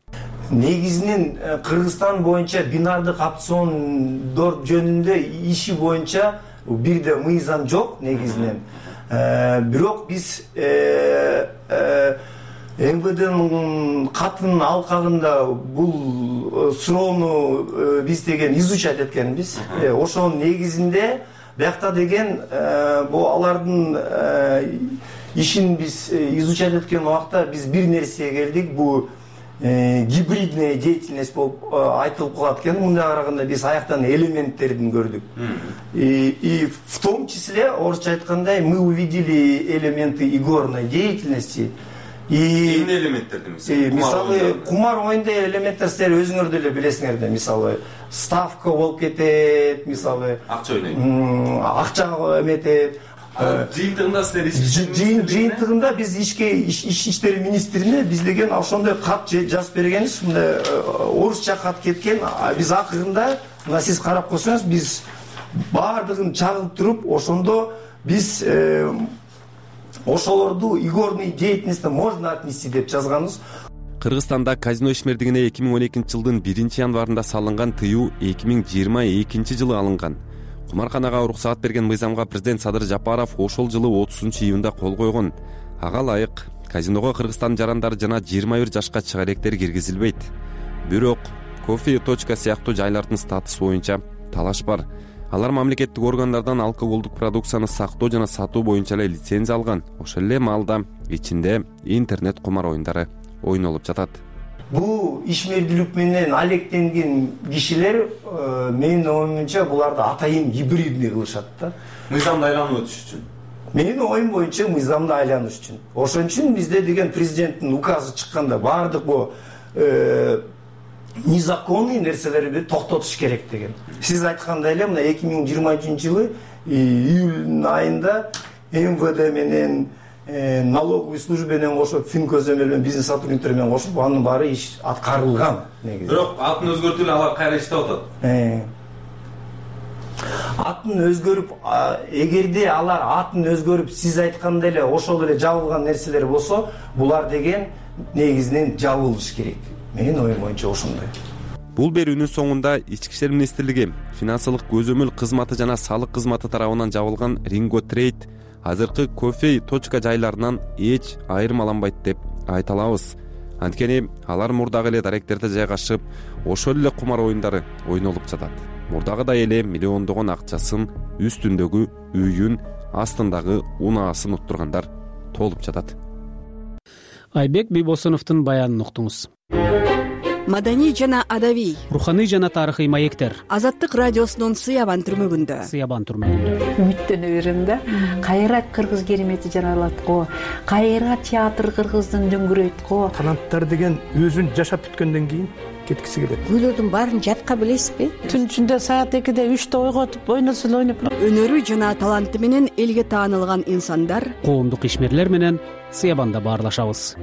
Негизинен Кыргызстан боюнча бинардык опциондор жөнүндө иши боюнча бирде мыйзам жок негизинен. Бирок биз МВДнын катынын алкагында бул суроону биз деген изучать эткенбиз. Ошонун негизинде биякта деген бул алардын ишин биз изучать эткен убакта биз бир нерсеге келдик. Бул гибридная деятельность болуп айтылып калат экен. Мындай караганда биз аяктан элементтерин көрдүк. И в том числе орусча айтканда мы увидели элементы игорной деятельности. Эмне элементтерди мисалы кумар оюнда элементтер силер өзүңөр деле билесиңер да, мисалы ставка болуп кетет, мисалы акча ойнойт, акча эметет. Жыйынтыгында силер жыйынтыгында биз ички иштер министрине биз деген ошондой кат жазып бергенбиз. Мындай орусча кат кеткен. Биз акырында мына сиз карап койсоңуз биз баардыгын чагылып туруп, ошондо биз ошолорду игорный деятельностьтен можно отнести деп жазганбыз. Кыргызстанда казино ишмердигине 2012-жылдын 1-январында салынган тыюу 2022-жылы алынган. Кумарканага уруксаат берген мыйзамга президент Садыр Жапаров ошол жылы 30-июнда кол койгон. Ага ылайык казиного Кыргызстан жарандары жана 21 жашка чыга электер киргизилбейт. Бирок кофе точка сыяктуу жайлардын статусу боюнча талаш бар. Алар мамлекеттик органдардан алкоголдук продукцияны сактоо жана сатуу боюнча эле лицензия алган. Ошол эле маалда ичинде интернет кумар оюндары ойнолуп жатат. Бул ишмердүүлүк менен алектенген кишилер менин оюмча буларды атайын гибридный кылышат да. Мыйзамды айланып өтүш үчүн. Менин оюм боюнча мыйзамды айланыш үчүн. Ошон үчүн бизде деген президенттин указы чыкканда баардык бул незаконный нерселерди токтотуш керек деген. Сиз айткандай эле мына 2023-жылы июль айында МВД менен налоговый служба менен кошуп, финкөзөмөл менен бизнес сотрудниктер менен кошуп, анын баары иш аткарылган негизи. Бирок атын өзгөртүп алар кайра иштеп атат. Атын өзгөрүп, эгерде алар атын өзгөрүп, сиз айткандай эле ошол эле жабылган нерселер болсо, булар деген негизинен жабылыш керек. Менин оюм боюнча ошондой. Бул берүүнүн соңунда Ички иштер министрлиги финансылык көзөмөл кызматы жана салык кызматы тарабынан жабылган Ringo Trade азыркы кофе точка жайларынан эч айырмаланбайт деп айта алабыз. Анткени алар мурдагы эле даректерде жайгашып, ошол эле кумар оюндары ойнолуп жатат. Мурдагыдай эле миллиондогон акчасын, үстүндөгү үйүн, астындагы унаасын уттургандар толуп жатат. Айбек Бийбосуновдун баянын уктуңуз. Маданий жана адабий, руханий жана тарыхый маектер. Азаттык радиосунун Сыябан түрмөгүндө. Үмүттөнө берем да. Кайра кыргыз керемети жаралат го. Кайра театр кыргыздын дөңгүрөйт го. Таланттар деген өзүн жашап бүткөндөн кийин кеткиси келет. Күйлөрдүн баарын жатка билесизби? Түн ичинде саат 2-де 3-те ойготуп, ойносо эле ойноп. Өнөрү жана таланты менен элге таанылган инсандар, коомдук ишмерлер менен Сыябанда баарлашабыз.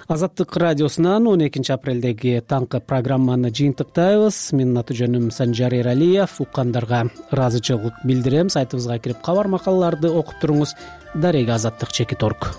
Азаттык радиосунан 12 апрелдеги таңкы программаны жыйынтыктайбыз. Менин аты-жөнүм Санжар Эралиев. Уккандарга ыраазычылык билдирем. Сайтыбызга кирип кабар макалаларды окуп туруңуз. Дареги Азаттык _org.